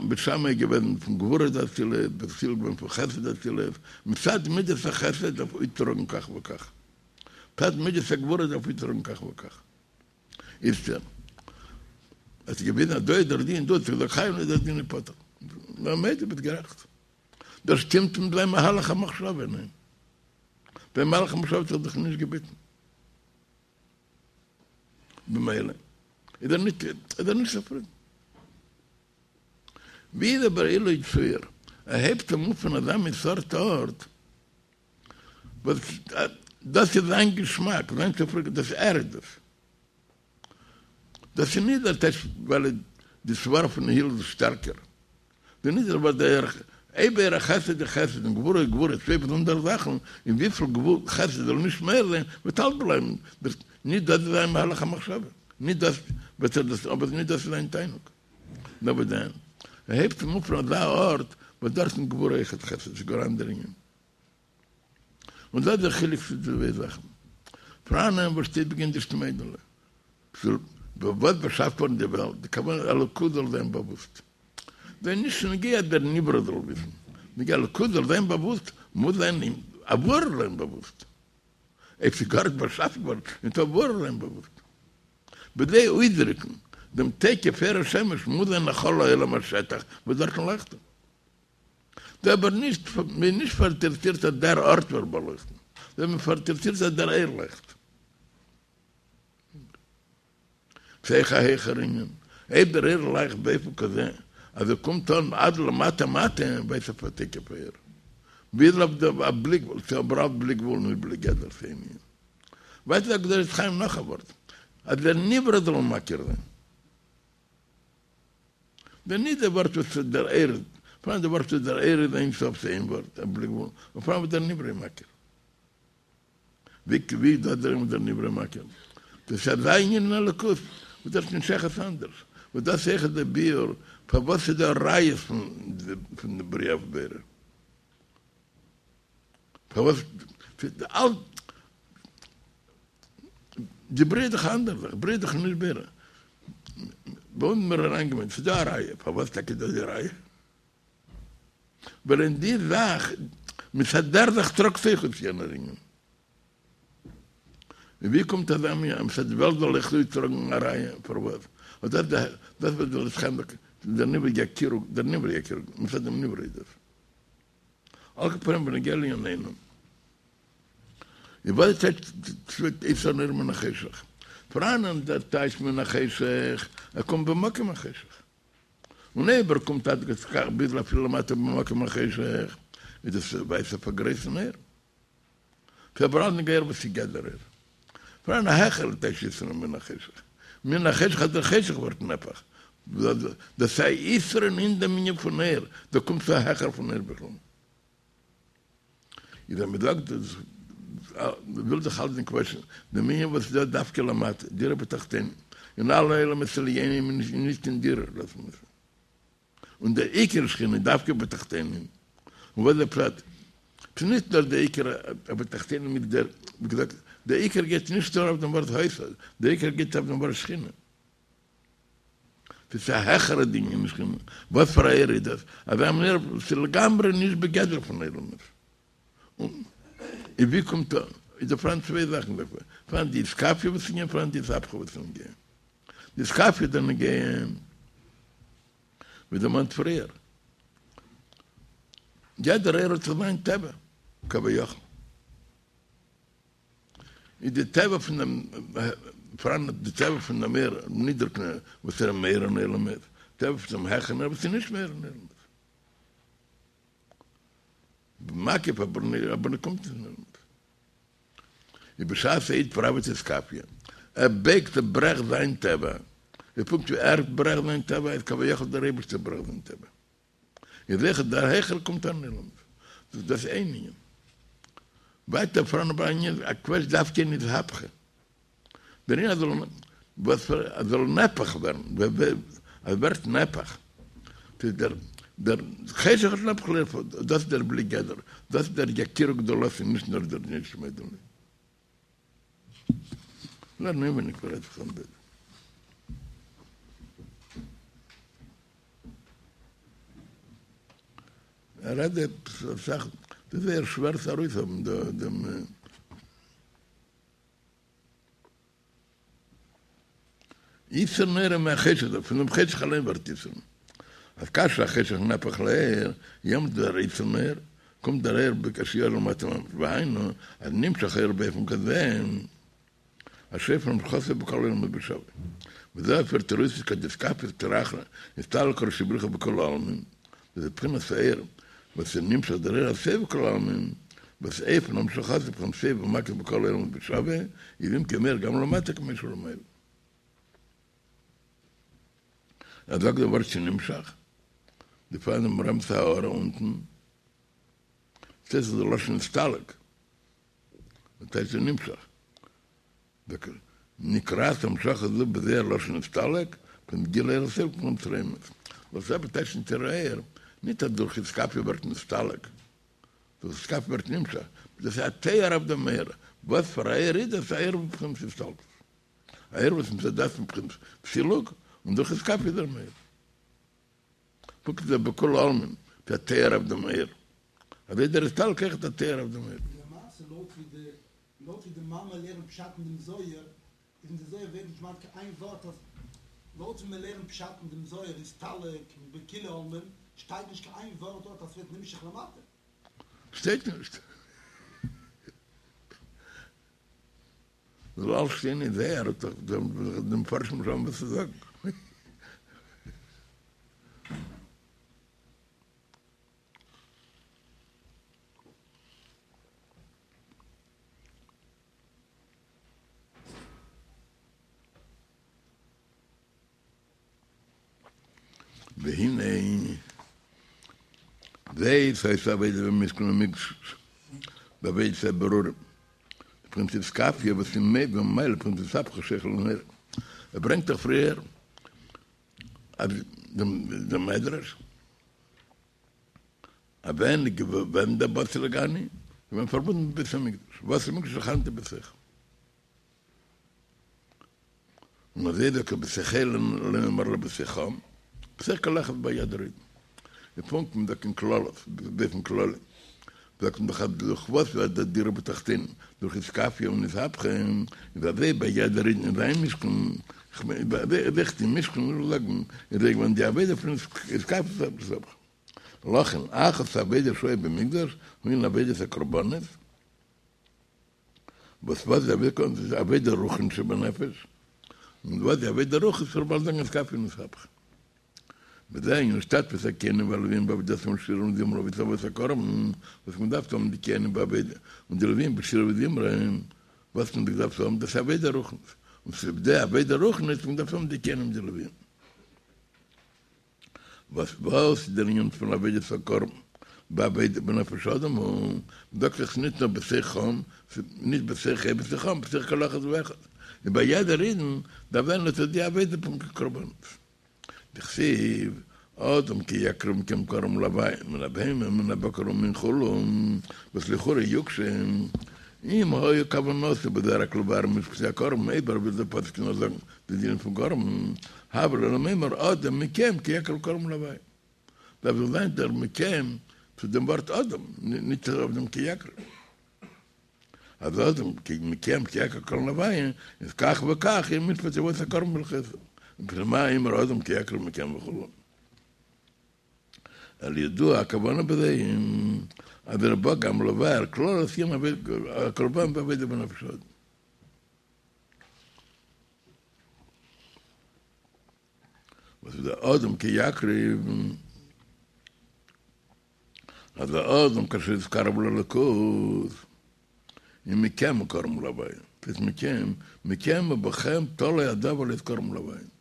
בית שמאי איז געווען פון גבורה דאצילות, בית הלל געווען פון חסד דאצילות, מצד מידת החסד דארף אויסטראגן כך וכך, מצד מידת הגבורה דארף אויסטראגן כך וכך. איצטער האט זיך געוויזן אז דא איז דער דין, דא האט זיך געזאגט חייב און דער דין איז פטור. נאר מודה ביסט גערעכט. דאס שטימט מיט זיין מהלך המחשבה, ניין? זיין מהלך המחשבה האט זיך דאך נישט געביטן. במילא איז ער נישט איז ער נישט צופרידן. ווי איז אבער לו יצוייר ער הייבט אים אויף פון אזא מין סארט ארט וואס דאס איז זיין געשמאק, זיין צופרידנקייט, דאס ער איז דאס. דאס איז נישט דער טייטש ווייל די סברא פון הלל איז שטערקער. דאס נישט ווייל דער אויב אור החסד איז חסד און גבורה איז גבורה צוויי באזונדערע זאכן, און וויפיל גבורה חסד זאל נישט מער זיין וועט אלץ בלייבן דאס נישט דאס איז זיין מהלך המחשבה, נישט דאס וועט ער דאס אבער נישט דאס איז זיין תענוג. נאר וואס דען? ער הייבט אים אויף פון אזא ארט וואס דארט איז גבורה אויכעט חסד, ס'איז גאר אנדערע ענין. און דאס איז דער חילוק צווישן די צוויי זאכן. פאראנען וואס שטייט בגין דאשתמודע ליה. וואס באשאפט געווארן די וועלט, די כוונה אלוקות זאל זיין באוואוסט. ס'איז נישט נוגע אז דער נברא זאל וויסן. נוגע אלוקות זאל זיין באוואוסט, מוז זיין אים אוואו ער זיין באוואוסט. אויב ס'איז גארנישט באשאפן געווארן, נישט אוואו ער זיין באוואוסט. בכדי אויסדריקן דעם תוקף אור השמש מוז זיין א חלל העולם א שטח וואס דארטן לייכט ער. דא אבער נישט, מען איז נישט פאראינטערעסירט אז דער ארט ווערט באלויכטן, נאר מען איז פאראינטערעסירט אז דער אור לייכט. ס'איז אויך א העכער ענין, אויב דער אור לייכט באופן כזה אז ער קומט אן עד למטה מטה, ווייזט אויף א תוקף האור. ביז אויף די א בלי גבול, ס'איז אבער אלץ בלי גבול נישט בלי גדר ס'ענין. ווייטער זאגט דער עץ חיים נאך א ווארט, אז דער נברא זאל מכיר זיין. דער נישט דער ווארט וואס דער אור, פאראן דער ווארט וואס דער אור איז אין סוף ס'איז איין ווארט א בלי גבול, און פאראן וואס דער נברא איז מכיר. ווי ווי איז דא דער וואס דער נברא מכיר? דאס איז אזא ענין אין אלוקות וואס דארט נישט שייך אנדערש, וואס דאס איז אויכעט דער ביאור פארוואס איז דא ראיות פון פון די בריאה אויף בורא. פארוואס אלץ די בריאה איז דאך א אנדערע זאך, בריאה איז דאך נישט בורא. ביי אונז מיר אריינגעמיינט ס'איז דא א ראיה, פארוואס טאקע איז דא די ראיה? ווייל אין די זאך, מצד דער זאך טראגט זיך אויס יענער ענין. און ווי קומט אזא מין אז מצד די וועלט זאל אויך אויסטראגן א ראיה? פארוואס? אט דאס דאס וואס דער עץ חיים זאגט, דער נברא יכירו, דער נברא יכירו, מצד דעם נברא איז דאס. על כל פנים בנוגע לענינינו. איז וואס טייטש יתרון האור מן החשך? פאראנען דער טייטש מן החשך, ער קומט במקום החשך. און אויב ער קומט עד כדי כך ביז אפילו למטה במקום החשך, איז דאס ווייזט אויף א גרויסן אור. ס'איז אבער אלץ נוגע וואס איז גדר אור. פאראן א העכערע טייטש יתרון מן החשך. מן החשך אז דער חשך ווערט נהפך. דאס איז א יתרון אין דעם ענין פון אור, דא קומט צו א העכער פון אור בכלל. איז אז מ'זאגט דאס וויל זיך האלטן קוועטשן דעם ענין וואס איז דא דווקא למטה, דירה בתחתונים, אין אלע עולמות עליונים איז נישט קיין דירה, דאס מוז און דער עיקר שכינה איז דווקא בתחתונים, און וואס איז דער פשט? ס'איז נישט נאר דער עיקר בתחתונים איז דער, ווי געזאגט, דער עיקר גייט נישט נאר אויף דעם ווארט היתה, דער עיקר גייט אויף דעם ווארט שכינה. ס'איז א העכערע דין אין שכינה, וואס פאר א אור איז דאס? אזא מין אור וואס איז לגמרי נישט בגדר פון עולמות. און ווי קומט אן? איז דא פאראן צוויי זאכן דערפאר, פאראן די אתכפיא וואס איז נוגע, פאראן די אתהפכא וואס איז נוגע. די אתכפיא איז דער נוגע, ווי דערמאנט פריער, יעדער אור האט זיך זיין טבע, כביכול. איז די טבע פון דעם פאראן די טבע פון דעם אור נידעריגן אור וואס ער איז מאיר אין עולמות, טבע פון דעם העכערן אור וואס איז נישט מאיר אין עולמות. מקיף אבער אבער קומט נישט אין עולמות. איז בשעת א איד פראוועט אתכפיא, ער בייגט ער ברעכט זיין טבע, איז פונקט ווי ער ברעכט זיין טבע איז כביכול דער אייבערשטער ברעכט זיין טבע. איז אויך דער העכער קומט אן אין עולמות. דאס דאס איין ענין. ווייטער פאראן אבער אן ענין א קוועטש דווקא אין אתהפכא. דער ענין אז זאל וואס פאר אז זאל נהפך ווערן אז ווערט נהפך. ס'איז דער דער חשך נהפך לאור, דאס איז דער בלי גדר, דאס איז דער יכירו גדולתו, נישט נאר דער נישט מודים לי. לערן אינווייניג פאר עטליכע בית. ער רעדט אסאך, דאס איז זייער שווער צו ארויסהאבן דעם יתרון האור מהחשך, פון דעם חשך אליין ווערט יתרון. אז כאשר החשך נהפך לאור, יעמאלט דער יתרון האור, קומט דער אור בקשי אור למטה ממש, והיינו, אז נמשך האור באופן כזה, אשר אופן המשכתו בכל העולמות בשווה. וזה אויף תירוץ כד אתכפיא סטרא אחרא, אסתלק קודשא בריך הוא בכולא עלמין, וזה בחינת האור, וואס איז נמשך דער אור הסובב כל עלמין, וואס אופן המשכתו בחינת סובב ומקיף בכל העולמות בשווה, איז אם כן מאיר גם למטה כמו שהוא למעלה. ער זאגט דער ווארט שנמשך, די פאר דעם רמ ס הארה אונטן, דאס איז דער לשון נסתלק, דאס הייסט נמשך. נקראת המשכה זו בזוהר לשון נסתלק, פון גילוי אור הסובב כמו תרעומות. וואס אבער טייטשן תראה, ניט אז דורך אתכפיא ווערט נסתלק, דורך אתכפיא ווערט נמשך, דאס איז א תואר אויף דעם אור. וואס פאר א אור איז דאס? א אור בבחינת הסתלקות. א אור וואס מצד עצמו בבחינת סילוק, און דורך אתכפיא איז ער מאיר. פונקט ווי בכולא עלמין, איז א תואר אויף דעם אור. אזוי דער הסתלקות אויכעט א תואר אויף דעם אור. למעשה לויט ווי די לויט ווי די מאמע לערנט פשט אין דעם זוהר, איז אין די זוהר ווערט נישט דערמאנט קיין איין ווארט אז לויט ווי מען לערנט פשט אין דעם זוהר אסתלק בכולא עלמין, שטייט נישט קיין איין ווארט דארט אז ס'ווערט נמשך למטה. שטייט נישט. זאל אלס שטיין אין זוהר, האט דאך די מפרשים נישט האבן וואס צו זאגן. והנה זאת היתה עבודה במשכן ומקדש בעבודת הבירורים בבחינת אתכפיא וואס איז מביא ומעלה בבחינת אתהפכא חשוכא לנהורא ער ברענגט דאך פריער אז דעם מדרש אז ווען איז געווען דער באתי לגני איז געווען פארבונדן מיט בית המקדש באתי למקדש ושכנתי בתוכם און אזוי זאגט ער בתוך אלה לא נאמר אלא בתוכם, בתוך כל אחד ביד הרידן. די פונקט מען זאגט אין כללות, באופן כללי, זאגט מען דאך אז דורך וואס ווערט די דירה בתחתונים, דורך אתכפיא און אתהפכא, איז אזוי ביי יעדער אידן אין זיין משכן, כ'מיין אויך אין משכן וויל איך זאגן, איז אזוי געווען די עבודה פון אתכפיא ואתהפכא. לכן, אחת העבודות שהיו במקדש, הוא ענין עבודת הקרבנות, וואס וואס די עבודה איז עבודה רוחנית שבנפש, און וואס די עבודה רוחנית איז באלד זאגן אתכפיא און אתהפכא. וזה ענין השתתפות הכהנים והלוויים בעבודתם בשירה וזמרה והקרבת הקרבן, וואס מען דארף האבן די כהנים בעבודה און די לוויים בשירה וזמרה, וואס מען דארף האבן דאס עבודה רוחנית, און צוליב די עבודה רוחנית מען דארף האבן די כהנים און די לוויים. וואס וואס איז דער ענין פון עבודת הקרבן בעבודה בנפש האדם הוא, מ'זאגט דאך ניט נאר בתוכם, נישט בתוך ה בתוכם, בתוך כל אחד ואחד, און ביי יעדער אידן דארף זיין אט די עבודה פון קרבנות. דכתיב, אדם כי יקריב מכם קרבן להוי' מן הבהמה ומן הבקר ומן כו', וואס לכאורה יוקשה, אם היה כוונתו בזה רק לבאר משפטי הקרבן, אויב ער וויל דער פסוק נאר זאגן די דינים פון קרבן, הוה ליה למימר אדם מכם כי יקריב קרבן להוי'. דארף דאך זיין דער מכם צו דעם ווארט אדם, נישט אויף דעם כי יקריב. אז אדם מכם כי יקריב קרבן להוי' איז כך וכך יהיה משפט עבודת הקרבן והלכותיו. מפני מה אמר אדם כי יקריב מכם וכו'. אלא ידוע הכוונה בזה אז ער בא גם לבאר כללות ענין הקרבן בעבודה בנפש האדם. וואס איז דער אדם כי יקריב? אז האדם כאשר יתקרב לאלוקות איז מכם קרבן להוי', ס'הייסט מכם, מכם ובכם תלוי הדבר להיות קרבן להוי',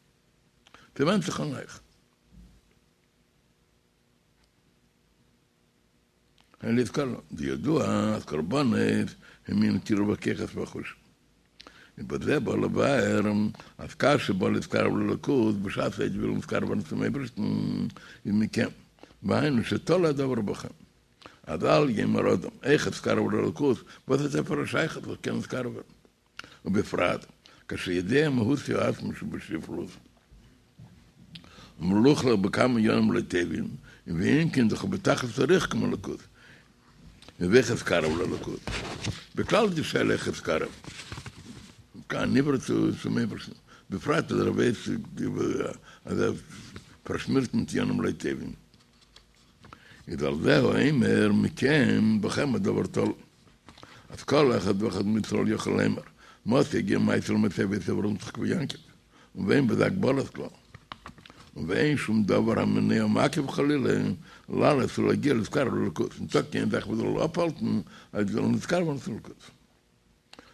ס'ווענדט זיך אין אייך. אין להתקרב, וידוע אז קרבנות הם ענין קירוב הכוחות והחושים. ובזה בא לבאר אז כאשר בא להתקרב לאלוקות בשעת א איד וויל נתקרב ווערן צום אייבערשטן איז מכם, והיינו שתלוי הדבר בכם. אז אל יאמר אדם, איך אתקרב לאלוקות, וואס האט ער פאר א שייכות וואס קען נתקרב ווערן? ובפרט כאשר יודע מהות עצמו שבשפלות ומלוכלך בכמה ענינים לא טובים, ואם כן דאך בתכלית הריחוק מאלוקות, ואיך אתקרב לאלוקות? בכלל די שאלה איך אתקרב? כאן נברא צום אייבערשטן, בפרט אז ער ווייסט אז ער פארשמירט מיט ענינים לא טובים. איז על זה הוא אומר מכם בכם הדבר תלוי. אז כל אחד ואחד מישראל יכול לומר, מתי יגיעו מעשי למצבת אברהם יצחק ויעקב, ואין בזה הגבלות כלל. ואין שום דבר המונע ומעכב חלילה לעלות ולהגיע להתקרב לאלוקות. ניטא קיין זאך וואס זאל אפהאלטן אז זאל נתקרב ווערן צום אלוקות.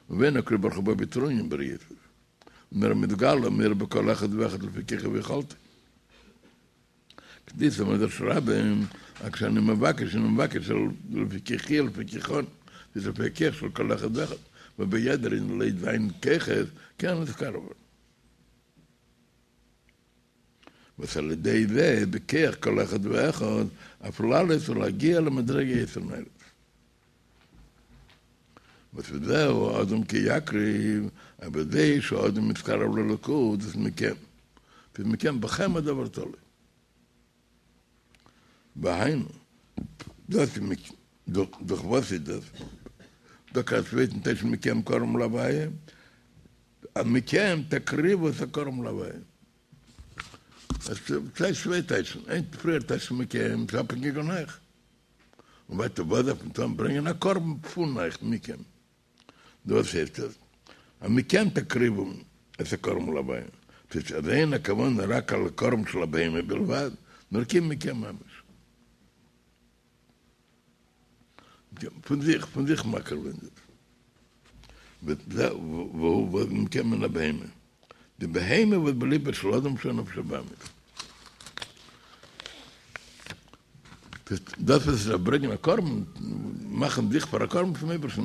ואין הקדוש ברוך הוא בא בטרוניא עם בריותיו. נאר מתגלה ומאיר בכל אחד ואחד לפי כחו ויכולתו. כדאיתא במדרש רבה, אז כשאני מבקש, אני מבקש לפי כחי, לפי כחן, זה לפי הכח של כל אחד ואחד, וביעדער איינעם לויט זיין כחות, קען נתקרב ווערן. וואס על ידי זה, בכח כל אחד ואחד, אף לעלות ולהגיע למדרגה יותר נעלית. וואס וזהו אדם כי יקריב, אז בזה שהאדם מתקרב לאלוקות, דאס מכם. דאס מכם בכם הדבר תלוי. והיינו, דאס דורך וואס איז דאס? דא א צווייטן טייטש מכם קרבן להוויה, אז מכם תקריבו את הקרבן להוויה. עס איז צוויי טייטשן, איין פריער טייטש מכם, ס'איז אפהענגיק אין אייך. און ווייטער וואס דארף מען טון? ברענגען א קרבן פון אייך, מכם. דאס הייסט עס, אז מכם תקריבו את הקרבן להוויה. ס'איז אז אין הכוונה רק על הקרבן של הבהמה בלבד, נאר כי מכם ממש. פון זיך, פון זיך מקריב זיין דאס. והוא מכם מן הבהמה. די בהמה וואס בליבו של אדם שהוא נפש הבהמית. דאס וואס איז ברענגען א קרבן, מאכן זיך פאר א קרבן צום אייבערשטן,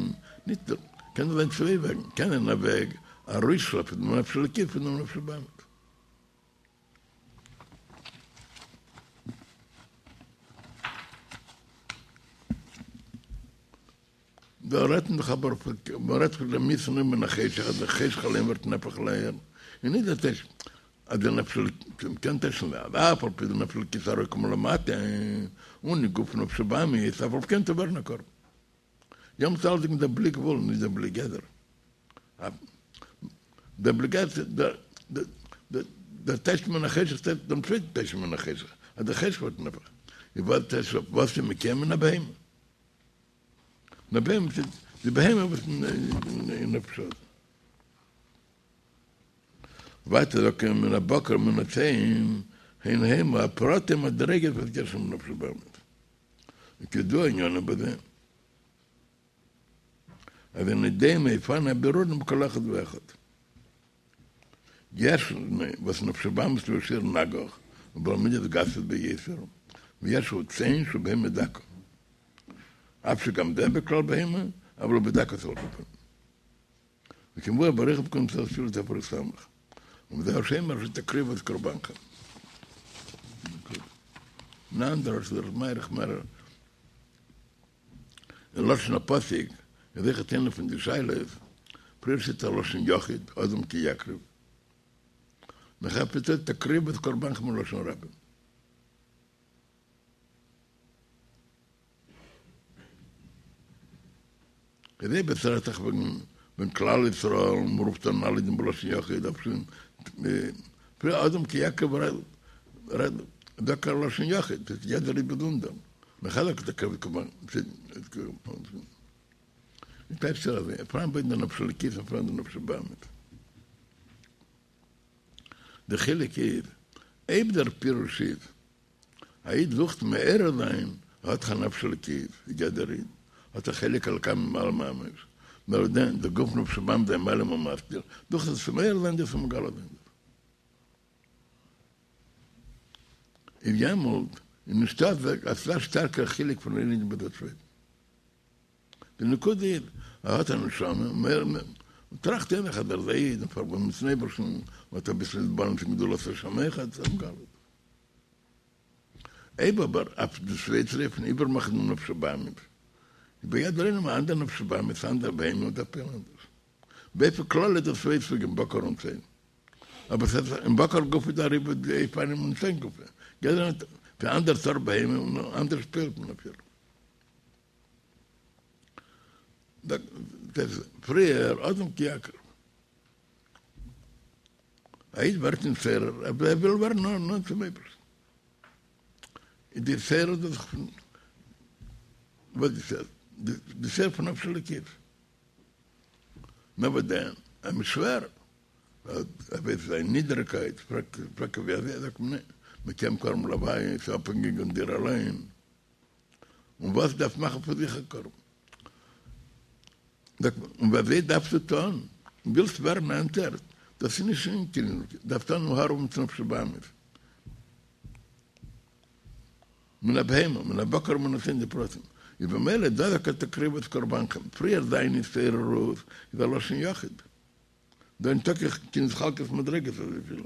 נישט, קען זיין צוויי וועגן, קען זיין א וועג ארויסשלעפן דעם נפש אלוקית פון דעם נפש הבהמית. דא רעדט מען דאך אבער פון, מען רעדט פון דעם יתרון מן החשך, אז דער חשך אליין ווערט נהפך לאור, און נישט דער טייטש אז דער נפש אלוקית, מען קען טייטשן אז אף על פי דער נפש אלוקית אראפ מלמטה, און אין גוף נפש הבהמית, אף על פי כן צו ווערן א קרבן. יעמאלט אלצדינג דער בלי גבול, נישט דער בלי גדר. דער בלי גדר, דער טייטש מן החשך, דעם צווייטן טייטש מן החשך, אז דער חשך ווערט נהפך. איז וואס טייטש וואס איז מכם מן הבהמה? מן הבהמה, די בהמה וואס אין נפש האדם. ווייטער זאגט ער מן הבקר ומן הצאן, הן המה הפרטי מדרגות וואס יש שם נפש הבהמית. וכידוע עניינם בזה, אז אינו דומה אופן הבירורים בכל אחד ואחד. יש וואס נפש הבהמית הוא ישיר נגח, ובעל מידות גסות ביותר, ויש הוא צאן שהוא בהמה דקה. אף שגם זה בכלל בהמה, אבל הוא בדקות על כל פנים. וכמבואר באריכות בקונטרס תפילה תרס"ו. ובזה שאומר שתקריבו את קרבנכם. אן אנדער ארט איז מאריך מער אין לשון הפסוק איז אויכעט איינע פון די שאלות, פריער שטייט א לשון יחיד, אדם כי יקריב, נאכער שטייט תקריבו את קרבנכם אין לשון רבים. איז אויב עס רעדט זיך וועגן ווען כלל ישראל מ'רופט אן אלע אידן בלשון יחיד דארף שוין פריער אדם כי יקריב רעדט דוקא לשון יחיד ס'איז יעדער איד באזונדער נאכער תקריבו כמובן טייטשט ער אזוי פאראן ביידע נפש אלוקית און פאראן די נפש הבהמית די חילוק איז אויב דער פירוש איז א איד זוכט מעורר זיין, האט דאך א נפש אלוקית, ווי יעדער איד, האט א חלק אלוקה ממעל ממש, נאר דען, דער גוף נפש הבהמית איז מעלים ומסתיר, דורך דאס מעורר זיין דאס און מגלה זיין דאס. איז יעמאלט איז נישטא אזא שטארקער חילוק פון איין איד ביז דער צווייטן. די נקודה איז, ער האט א נשמה, מער מער, טראכט ער זיך אז ער איז א איד און פארבונדן מיטן אייבערשטן, און האט אביסל התבוננות אין גדולת השם אחד, אויב אבער אויף די צווייטע אופן איבערמאכן דעם נפש הבהמית, איז ביי יעדער איינעם א אנדער נפש הבהמית, א אנדער בהמה און דארף פועל'ן אנדערש. באופן כללי איז דא צוויי סוגים בקר און צאן. אבער ס'איז אין בקר גופא איז דא א ריבוי די אופנים און צאן גופא. יעדער האט אן אנדער סארט בהמה און אנדערש פועל'ט מען אויף איר. דאס פריער אדם כי יקריב. א איד ווערט נתעורר, ער וויל ווערן נאנט צום אייבערשטן. איז די התעוררות דאס פון וואס די די התעוררות פון נפש אלוקית. נאר וואס דען, אים איז שווער, ער ווייסט זיין נידעריגקייט, פרעגט ער ווי אזוי, זאגט מען ניין, מען קען קרבן להוי', ס'איז אפהענגיג אין דיר אליין. און וואס דארף מאכן פון זיך א קרבן? זאגט מען, און ווי אזוי דארפסטו טון? ווילסט ווערן נענטער? דאס איז נישט אין קיין, דארפסט טון הארעווען מיט נפש הבהמית, מן הבהמה, מן הבקר ומן הצאן די פרטים, איז במילא דא זאגט ער תקריבו את קרבנכם, פריער זיין התעוררות איז א לשון יחיד, דא ניטא קיין התחלקות מדריגות אזויפיל.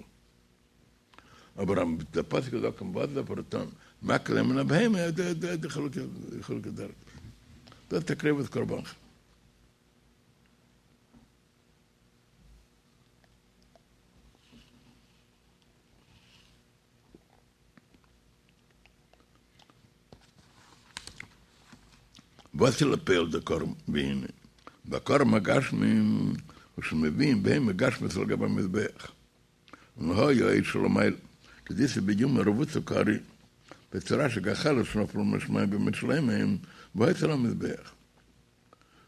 אבער אז דער פסוק זאגט אים וואס דארף ער טון, מקריב מן הבהמה, די חילוקי דרגות, דאס תקריבו את קרבנכם. וואס איז לפועל דער קרבן והנה בקרבן הגשמי הוא שמביאים בהמה גשמית על גבי המזבח. און היה אש שלמעלה, כדאיתא ביומא רבותא כארי, בצורה של גחלת שנפלה מן השמים בימי שלמה, והיתה על המזבח.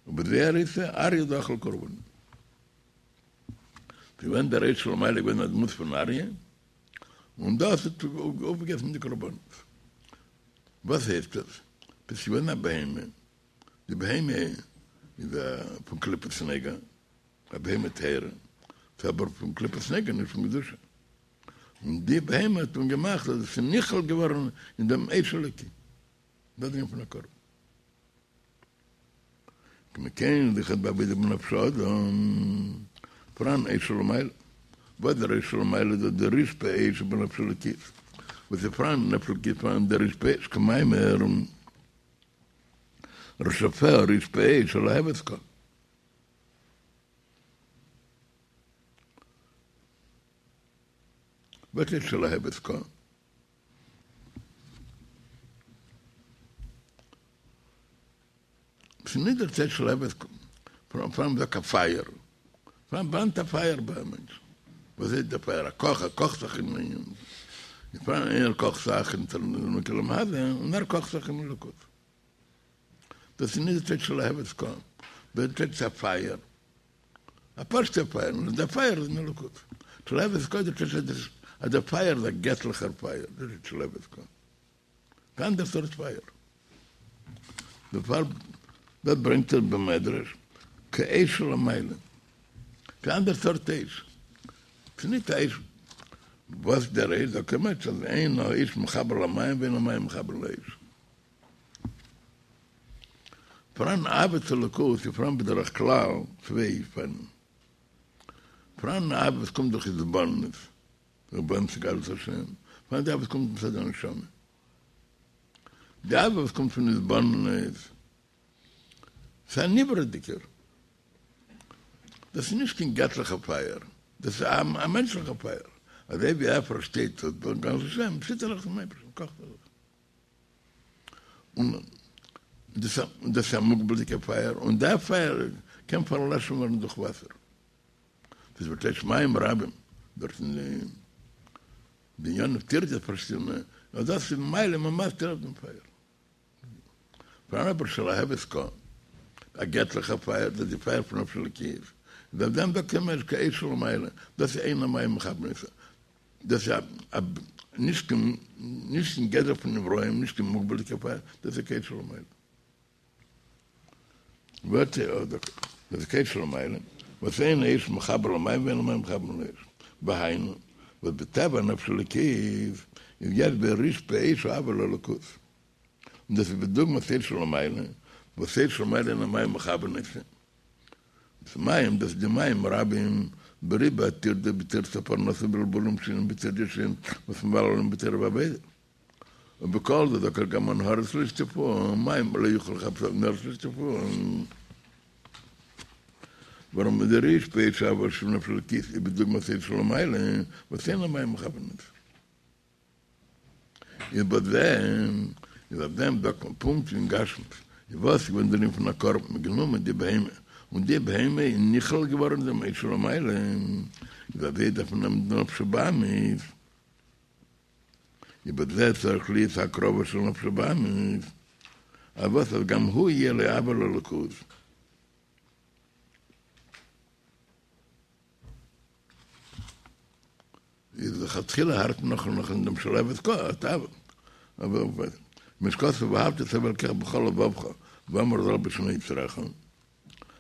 ובזוהר איתא אריה דאכל קרבנא. ס'איז געווען דער אש שלמעלה געווען א דמות פון אריה, און דאס האט אויפגעגעסן די קרבנות. וואס הייסט דאס? דאס איז געווען א בהמה, די בהמה איז א פון קליפת נוגה, א בהמה טהורה, ס'איז אבער פון קליפת נוגה נישט פון קדושה. און די בהמה האט מען געמאכט אז עס איז נכלל געווארן אין דעם אש אלוקי. דאס איז דער ענין פון א קרבן. כמו כן איז אויכעט בעבודה בנפש האדם, פאראן אש שלמעלה. וואס דער אש שלמעלה איז דאס דער רשפי אש שבנפש אלוקית. וואס איז פאראן אין נפש אלוקית פאראן דער רשפי אש כמאמר רשפיה רשפי אש שלהבת קה. וואס איז שלהבת קה? ס'איז נישט דער טייטש שלהבת קה, פאראן מ'זאגט א פייער, פאראן ברענט א פייער ביי א מענטש, וואס איז דער פייער? א קאך, ער קאכט זיך אין ענין, איז פאראן איינער קאכט זיך אין עולם הזה, און ער קאכט זיך אין אלוקות. דאס איז נישט די טייטש שלהבת קה, דאס איז טייטש א פייער, א פשוט'ער פייער, נאר דער פייער איז אין אלוקות. שלהבת קה איז די טייטש אז דער פייער איז א געטליכער פייער, דאס איז שלהבת קה. אן אנדער סארט פייער. דערפאר דאס ברענגט ער במדרש כאש שלמעלה. ס'איז אן אנדער סארט אש. ס'איז נישט א אש וואס דער אש זאגט ער מיינט אז אין האש מכבה למים ואין המים מכבה לאש. פאראן אהבה צו אלוקות איז פאראן בדרך כלל צוויי אופנים. פאראן אהבה וואס קומט דורך התבוננות, התבוננות אין גדלות השם, פאראן די אהבה וואס קומט מצד הנשמה. די אהבה וואס קומט פון התבוננות איז א נברא'דיגער, דאס איז נישט קיין געטליכע פייער, דאס איז א מענטשליכע פייער, אזוי ווי ער פארשטייט גדלות השם, ציט ער זיך צום אייבערשטן, קאכט ער זיך. און דאס איז א מוגבל'דיגע פייער, און דער פייער קען פארלאשן ווערן דורך וואסער. דאס ווערט טייטש מים רבים, דארט אין די ענינים טירדות פארשידענע, נאר דאס איז מעלים ומסתיר אויף דעם פייער. פאראן אבער שלהבת קה, א געטליכע פייער, דאס איז די פייער פון נפש אלוקית, איז אויף דעם זאגט מען כאש שלמעלה, דאס איז אין המים מכבין אותה. דאס איז א נישט קיין נישט אין גדר פון נבראים, נישט קיין מוגבל'דיגע פייער, דאס איז כאש שלמעלה. ווערט דאס איז כאש שלמעלה, וואס אין האש מכבה למים ואין המים מכבין לאש. והיינו, וואס בטבע נפש אלוקית איז יש בה רשפי אש אהבה לאלוקות. און דאס איז בדוגמת אש שלמעלה, וואס אש שלמעלה אין המים מכבין אותה. דאס מים, דאס איז די מים רבים בריבוי הטירדא בטרדות הפרנסה בלבולים שונים בטרדות שונות וואס מבלבלים בתורה ועבודה. ובכל זאת זאגט ער גם הנהרות לא ישטפוהו, מים לא יוכלו לכבות נהרות לא ישטפוהו. ווארום דער רשפי אהבה שבנפש האלוקית איז בדוגמת אור שלמעלה, וואס אין המים מכבין אותו. איז בזה, איז אויף דעם זאגט מען פונקט ווי אין גשמיות, איז וואס איז געווען דער ענין פון א קרבן, מ'האט גענומען די בהמה, און די בהמה איז נכלל געווארן אין דעם אור שלמעלה, איז אזוי דארף מען נעמען די נפש הבהמית, איז בזה צריך להיות הקרבה של נפש הבהמית, אז וואס אז גם הוא יהיה לו אהבה לאלוקות. איז לכתחילה הערט מען נאך נאך אין דעם שלהבת כה אתה אבער כמו שכתוב ואהבת את ה' אלקיך בכל לבבך ואמר זאת בשני יצריך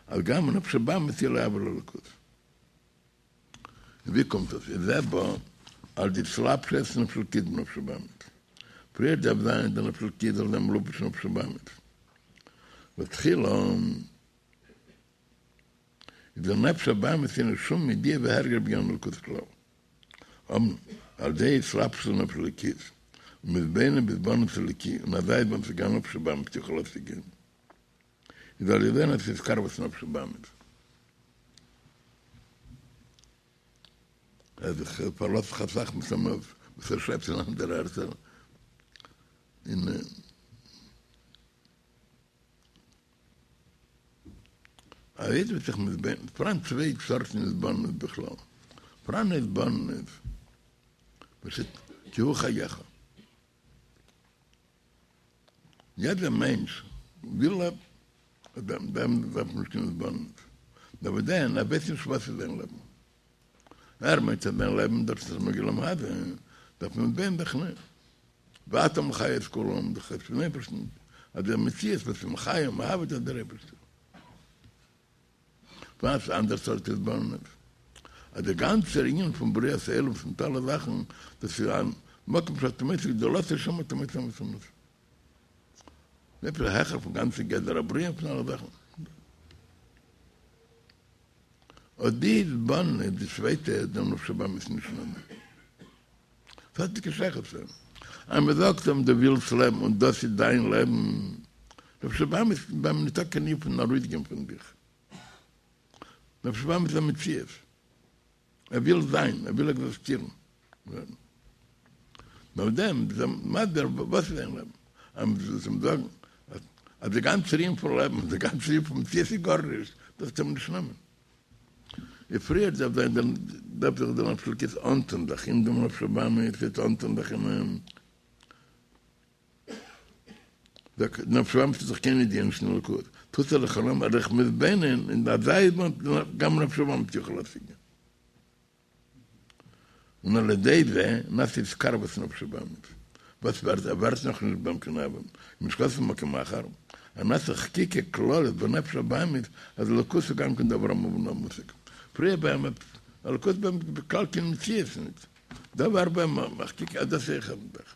אז גם נפש הבהמית יהיה לו אהבה לאלוקות. ווי קומט דאס? איז זה בא על ידי התלבשות נפש אלוקית בנפש הבהמית. פריער דארף זיין די נפש אלוקית זאל זיין מלובש אין נפש הבהמית. ותחילה איז דער נפש הבהמית אין שום ידיעה והרגש בעניין אלוקות כלל. אמנם, על ידי התלבשות נפש אלוקית, ומתבונן בהתבוננות אלוקי, און אזי איז ביים גם נפש הבהמית יכול להשיגם. איז על ידי נעשה התקרבות נפש הבהמית. אז איך פארלאז זיך אסאך מסתמא וואס ער שרייבט אין אנדערע ערטער אין א איד וועט זיך מתבונן, פאראן צוויי סארטן התבוננות בכלל, פאראן התבוננות וואס איז כי הוא חייך, יעדער מענטש וויל לעבן, אויף דעם דארף מען נישט קיין התבוננות, נאר וואס דען, ער ווייסט נישט וואס איז זיין לעבן, ער מיינט אז זיין לעבן דאס איז נוגע לעולם הזה, דארף מען מתבונן זיך ניין, ואתה מחיה את כולם, דאס הייסט פון אייבערשטן, אז דער מציאות וואס איז מחיה ומהווה דאס איז דער אייבערשטער. פאראן אן אנדער סארט התבוננות, אז דער גאנצער ענין פון בריאת העולם פון אלע זאכן, דאס איז א מקום שאתה מוצא גדולתו שם אתה מוצא ענוותנותו. עפעס העכער פון גאנצע גדר הבריאה פון אלע זאכן. אט די התבוננות, די צווייטע, דעם נפש הבהמית נישט נעמען. ס'האט נישט קיין שייכות צו אים. אז מ'זאגט אים דו ווילסט לעבן און דאס איז דיין לעבן, נפש הבהמית איז ביי אים נישטא קיין ענין פון ארויסגיין פון זיך. נפש הבהמית איז א מציאות. ער וויל זיין, ער וויל עקזיסטירן. נאכדעם איז ער מסביר וואס איז זיין לעבן. אז מ'זאל אים זאגן אז די גאנצע ענין פון לעבן, די גאנצע ענין פון מציאות איז גארנישט, דאס וועט אים נישט נעמען. ווי פריער דארף זיין דער דארף זיך דער נפש אלוקית אנטון זיך אין דעם נפש הבהמית וועט אנטון זיך אין אים דער נפש הבהמית האט דאך קיין ידיעה נישט אין אלוקות טוט ער זיך אן ער זיך מתבונן אין אזא התבוננות גם נפש הבהמית יכול להשיג און על ידי זה נעשה התקרבות נפש הבהמית, וואס ווערט ער ווערט נאך נישט ביי אים קיין אהבה, כמו שכתוב במקום אחר, אז נעשה חקיקה כללית בנפש הבהמית אז אלוקות איז גם כן דבר המובן והמושג, פריער ביי אים אלוקות ביי אים בכלל קיין מציאות ניט, דא ווערט ביי אים א חקיקה אז דאס איז אויך א זאך,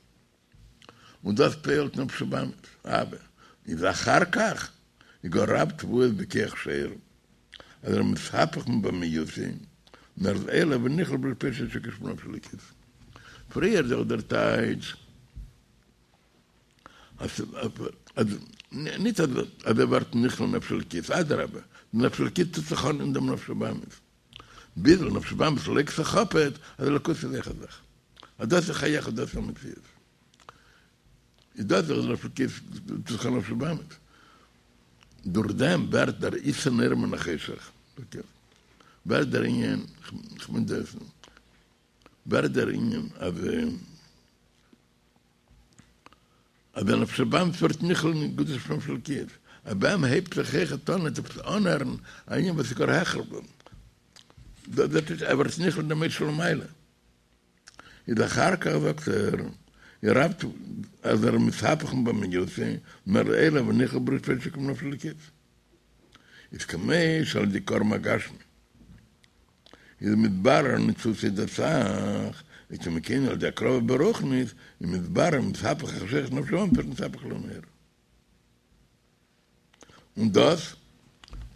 און דאס פועלט נפש הבהמית, אהבה, איז אחר כך איז גאר רב תבואות בכח שור, אז ער מתהפך מבהמיותו, און ער איז עולה ונכלל ברשפי תשוקה שבנפש האלוקית. פריער זאגט דער טייטש אז ניט אז ער ווערט נכלל נפש אלוקית, אדרבה, די נפש אלוקית טוט זיך אן אין דעם נפש הבהמית, ביז די נפש הבהמית לייגט זיך אפעט אז אלוקות איז אויך א זאך, אז דאס איז חייך דאס איז המציאות. איז דאס דאך נפש אלוקית טוט זיך אן נפש הבהמית. דורך דעם ווערט דער יתרון האור מן החשך, ווערט דער ענין, כ'מיין דאס, ווערט דער ענין אז אז דער נפש הבהמית ווערט נכלל אין קדושה פון נפש אלוקית, אז ביי אים הייבט זיך אויכעט אן עפעס אנהערן א ענין וואס איז גאר העכער, דאס איז ער ווערט נכלל אין דעם אור שלמעלה. איז אחר כך זאגט ער איר רב אז ער מתהפך מבהמיותו נאר עולה ונכלל ברשפי תשוקה שבנפש האלוקית איז כמו שעל ידי קרבן הגשמי איז מתברר ניצוצי דס"ח איז כמו כן על ידי הקרבה ברוחנית איז מתברר מתהפך החשכת נפש הבהמית ווערט נתהפך לנהורא און דאס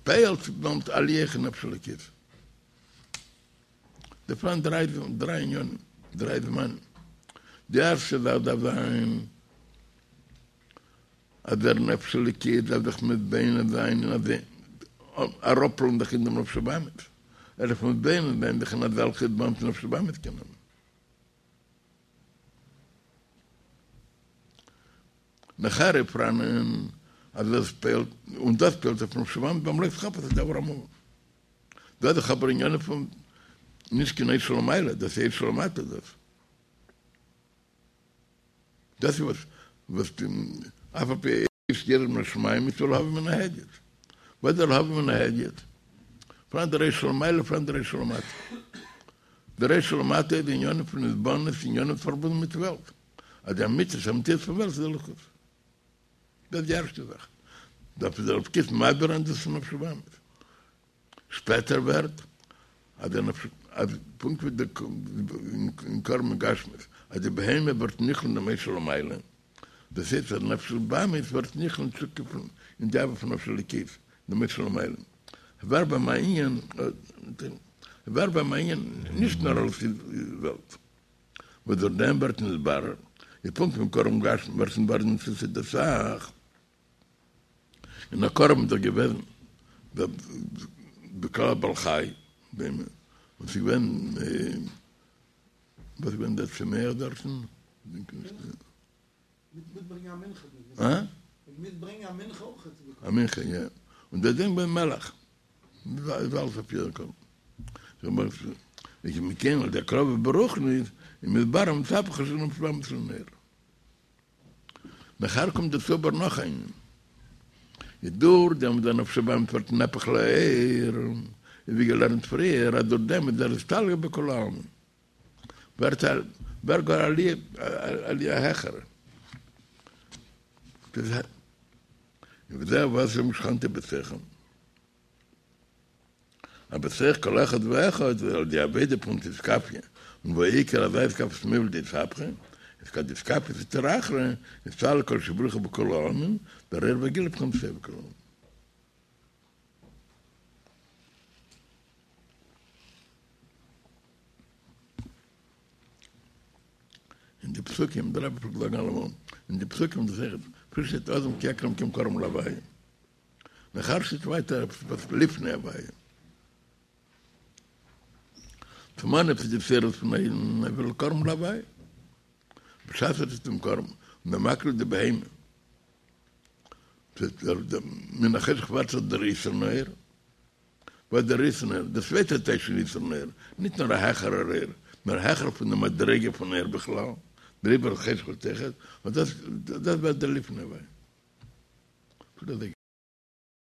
פועלט דעמאלט עליה אין נפש אלוקית. דא פאראן דריי דריי ענינים, דריי זמנים. די ערשטע זאך דארף זיין אז דער נפש אלוקית דארף זיך מתבונן זיין אין אזא אראפלאזן זיך אין דעם נפש הבהמית, ער דארף מתבונן זיין זיך אין אזעלכע התבוננות נפש הבהמית קען האבן. נאכהער איז פאראנען אז דאס פועל'ט, און דאס פועל'ט אויף נפש הבהמית ביים לא תחפץ הדבר המובן. דאס איז דאך אבער ענינים פון נישט קיין אור שלמעלה, דאס איז אור שלמטה דאס. דאס איז וואס וואס אף על פי שירד מן השמים מצוה להביא מן ההדיוט. וואס איז דער להביא מן ההדיוט? פאראן דער אור שלמעלה פאראן דער אור שלמטה. דער אור שלמטה איז די ענינים פון התבוננות ענינים פארבונדן מיט וועלט. אז די אמיתית המציאות פון וועלט איז אלוקות. דאס איז די ערשטע זאך. דארף דער אלקות מעביר זיין דאס אין נפש הבהמית. שפעטער ווערט אז דער נפש אז פונקט ווי די אין קרבן גשמיות אז די בהמה ווערט נכלל אין דעם אור שלמעלה, דאס הייסט אז נפש הבהמית ווערט נכלל אין תשוקה פון אין די אהבה פון נפש אלוקית, דעם אור שלמעלה. ווערט ביי אים א ענין ווערט ביי אים א ענין נישט נאר אלס וועלט. וואס דורך דעם ווערט נתברר איז פונקט ווי אין קרבן גשמי ווערט נתברר ניצוצא דס"ך. און א קרבן איז דאך געוועזן בכלל א בעל חי, בהמה, און ס'איז געווען, וואס איז געווען דער צומח דארטן? אה? א מנחה, יא. און דער דין געווען מלח. איז אלעס אויף יעדן קרבן. איז מכאן על ידי הקרבה ברוחניות, איז מתברר ונתהפך נפש הבהמית לנהר. נאכהער קומט דערצו אבער נאך א ענין, איז דורך דעם וואס דער נפש הבהמית ווערט נהפך לאור, איז ווי געלערנט פריער אז דורך דעם איז ער אסתלקא בכולא עלמין, ווערט א ווערט גאר עליה עליה העכערע. וזהו ואשים שכנתי בתוכם. אז בתוך כל אחד ואחד על ידי עבודה פון אתכפיא און והעיקר אזא אתכפיא מבלי דאתהפכא, איז כד אתכפיא סטרא אחרא אסתלק קודשא בריך הוא בכולא עלמין, דער אור וגילוי בחינת סובב כל עלמין. אין די פסוקים, דער רבי פלעגט זאגן אלעמאל, אין די פסוקים דאס אויכעט, פריער שטייט אדם כי יקריב מכם קרבן להוויה. נאכהער שטייט ווייטער עפעס וואס לפני הוויה. צום אנהייב איז די התעוררות פון א אידן ער וויל קרבן להוויה. בשעת ער טוט דעם קרבן און ער מקריב די בהמה. מן החשך ווערט זיך דער יתרון האור. וואס דער יתרון האור? דער צווייטער טייטש פון יתרון האור, נישט נאר א העכערער אור, נאר העכער פון די מדריגה פון אור בכלל, דעריבער חשך ווערט אויכעט, און דאס ווערט דער לפני הוויה.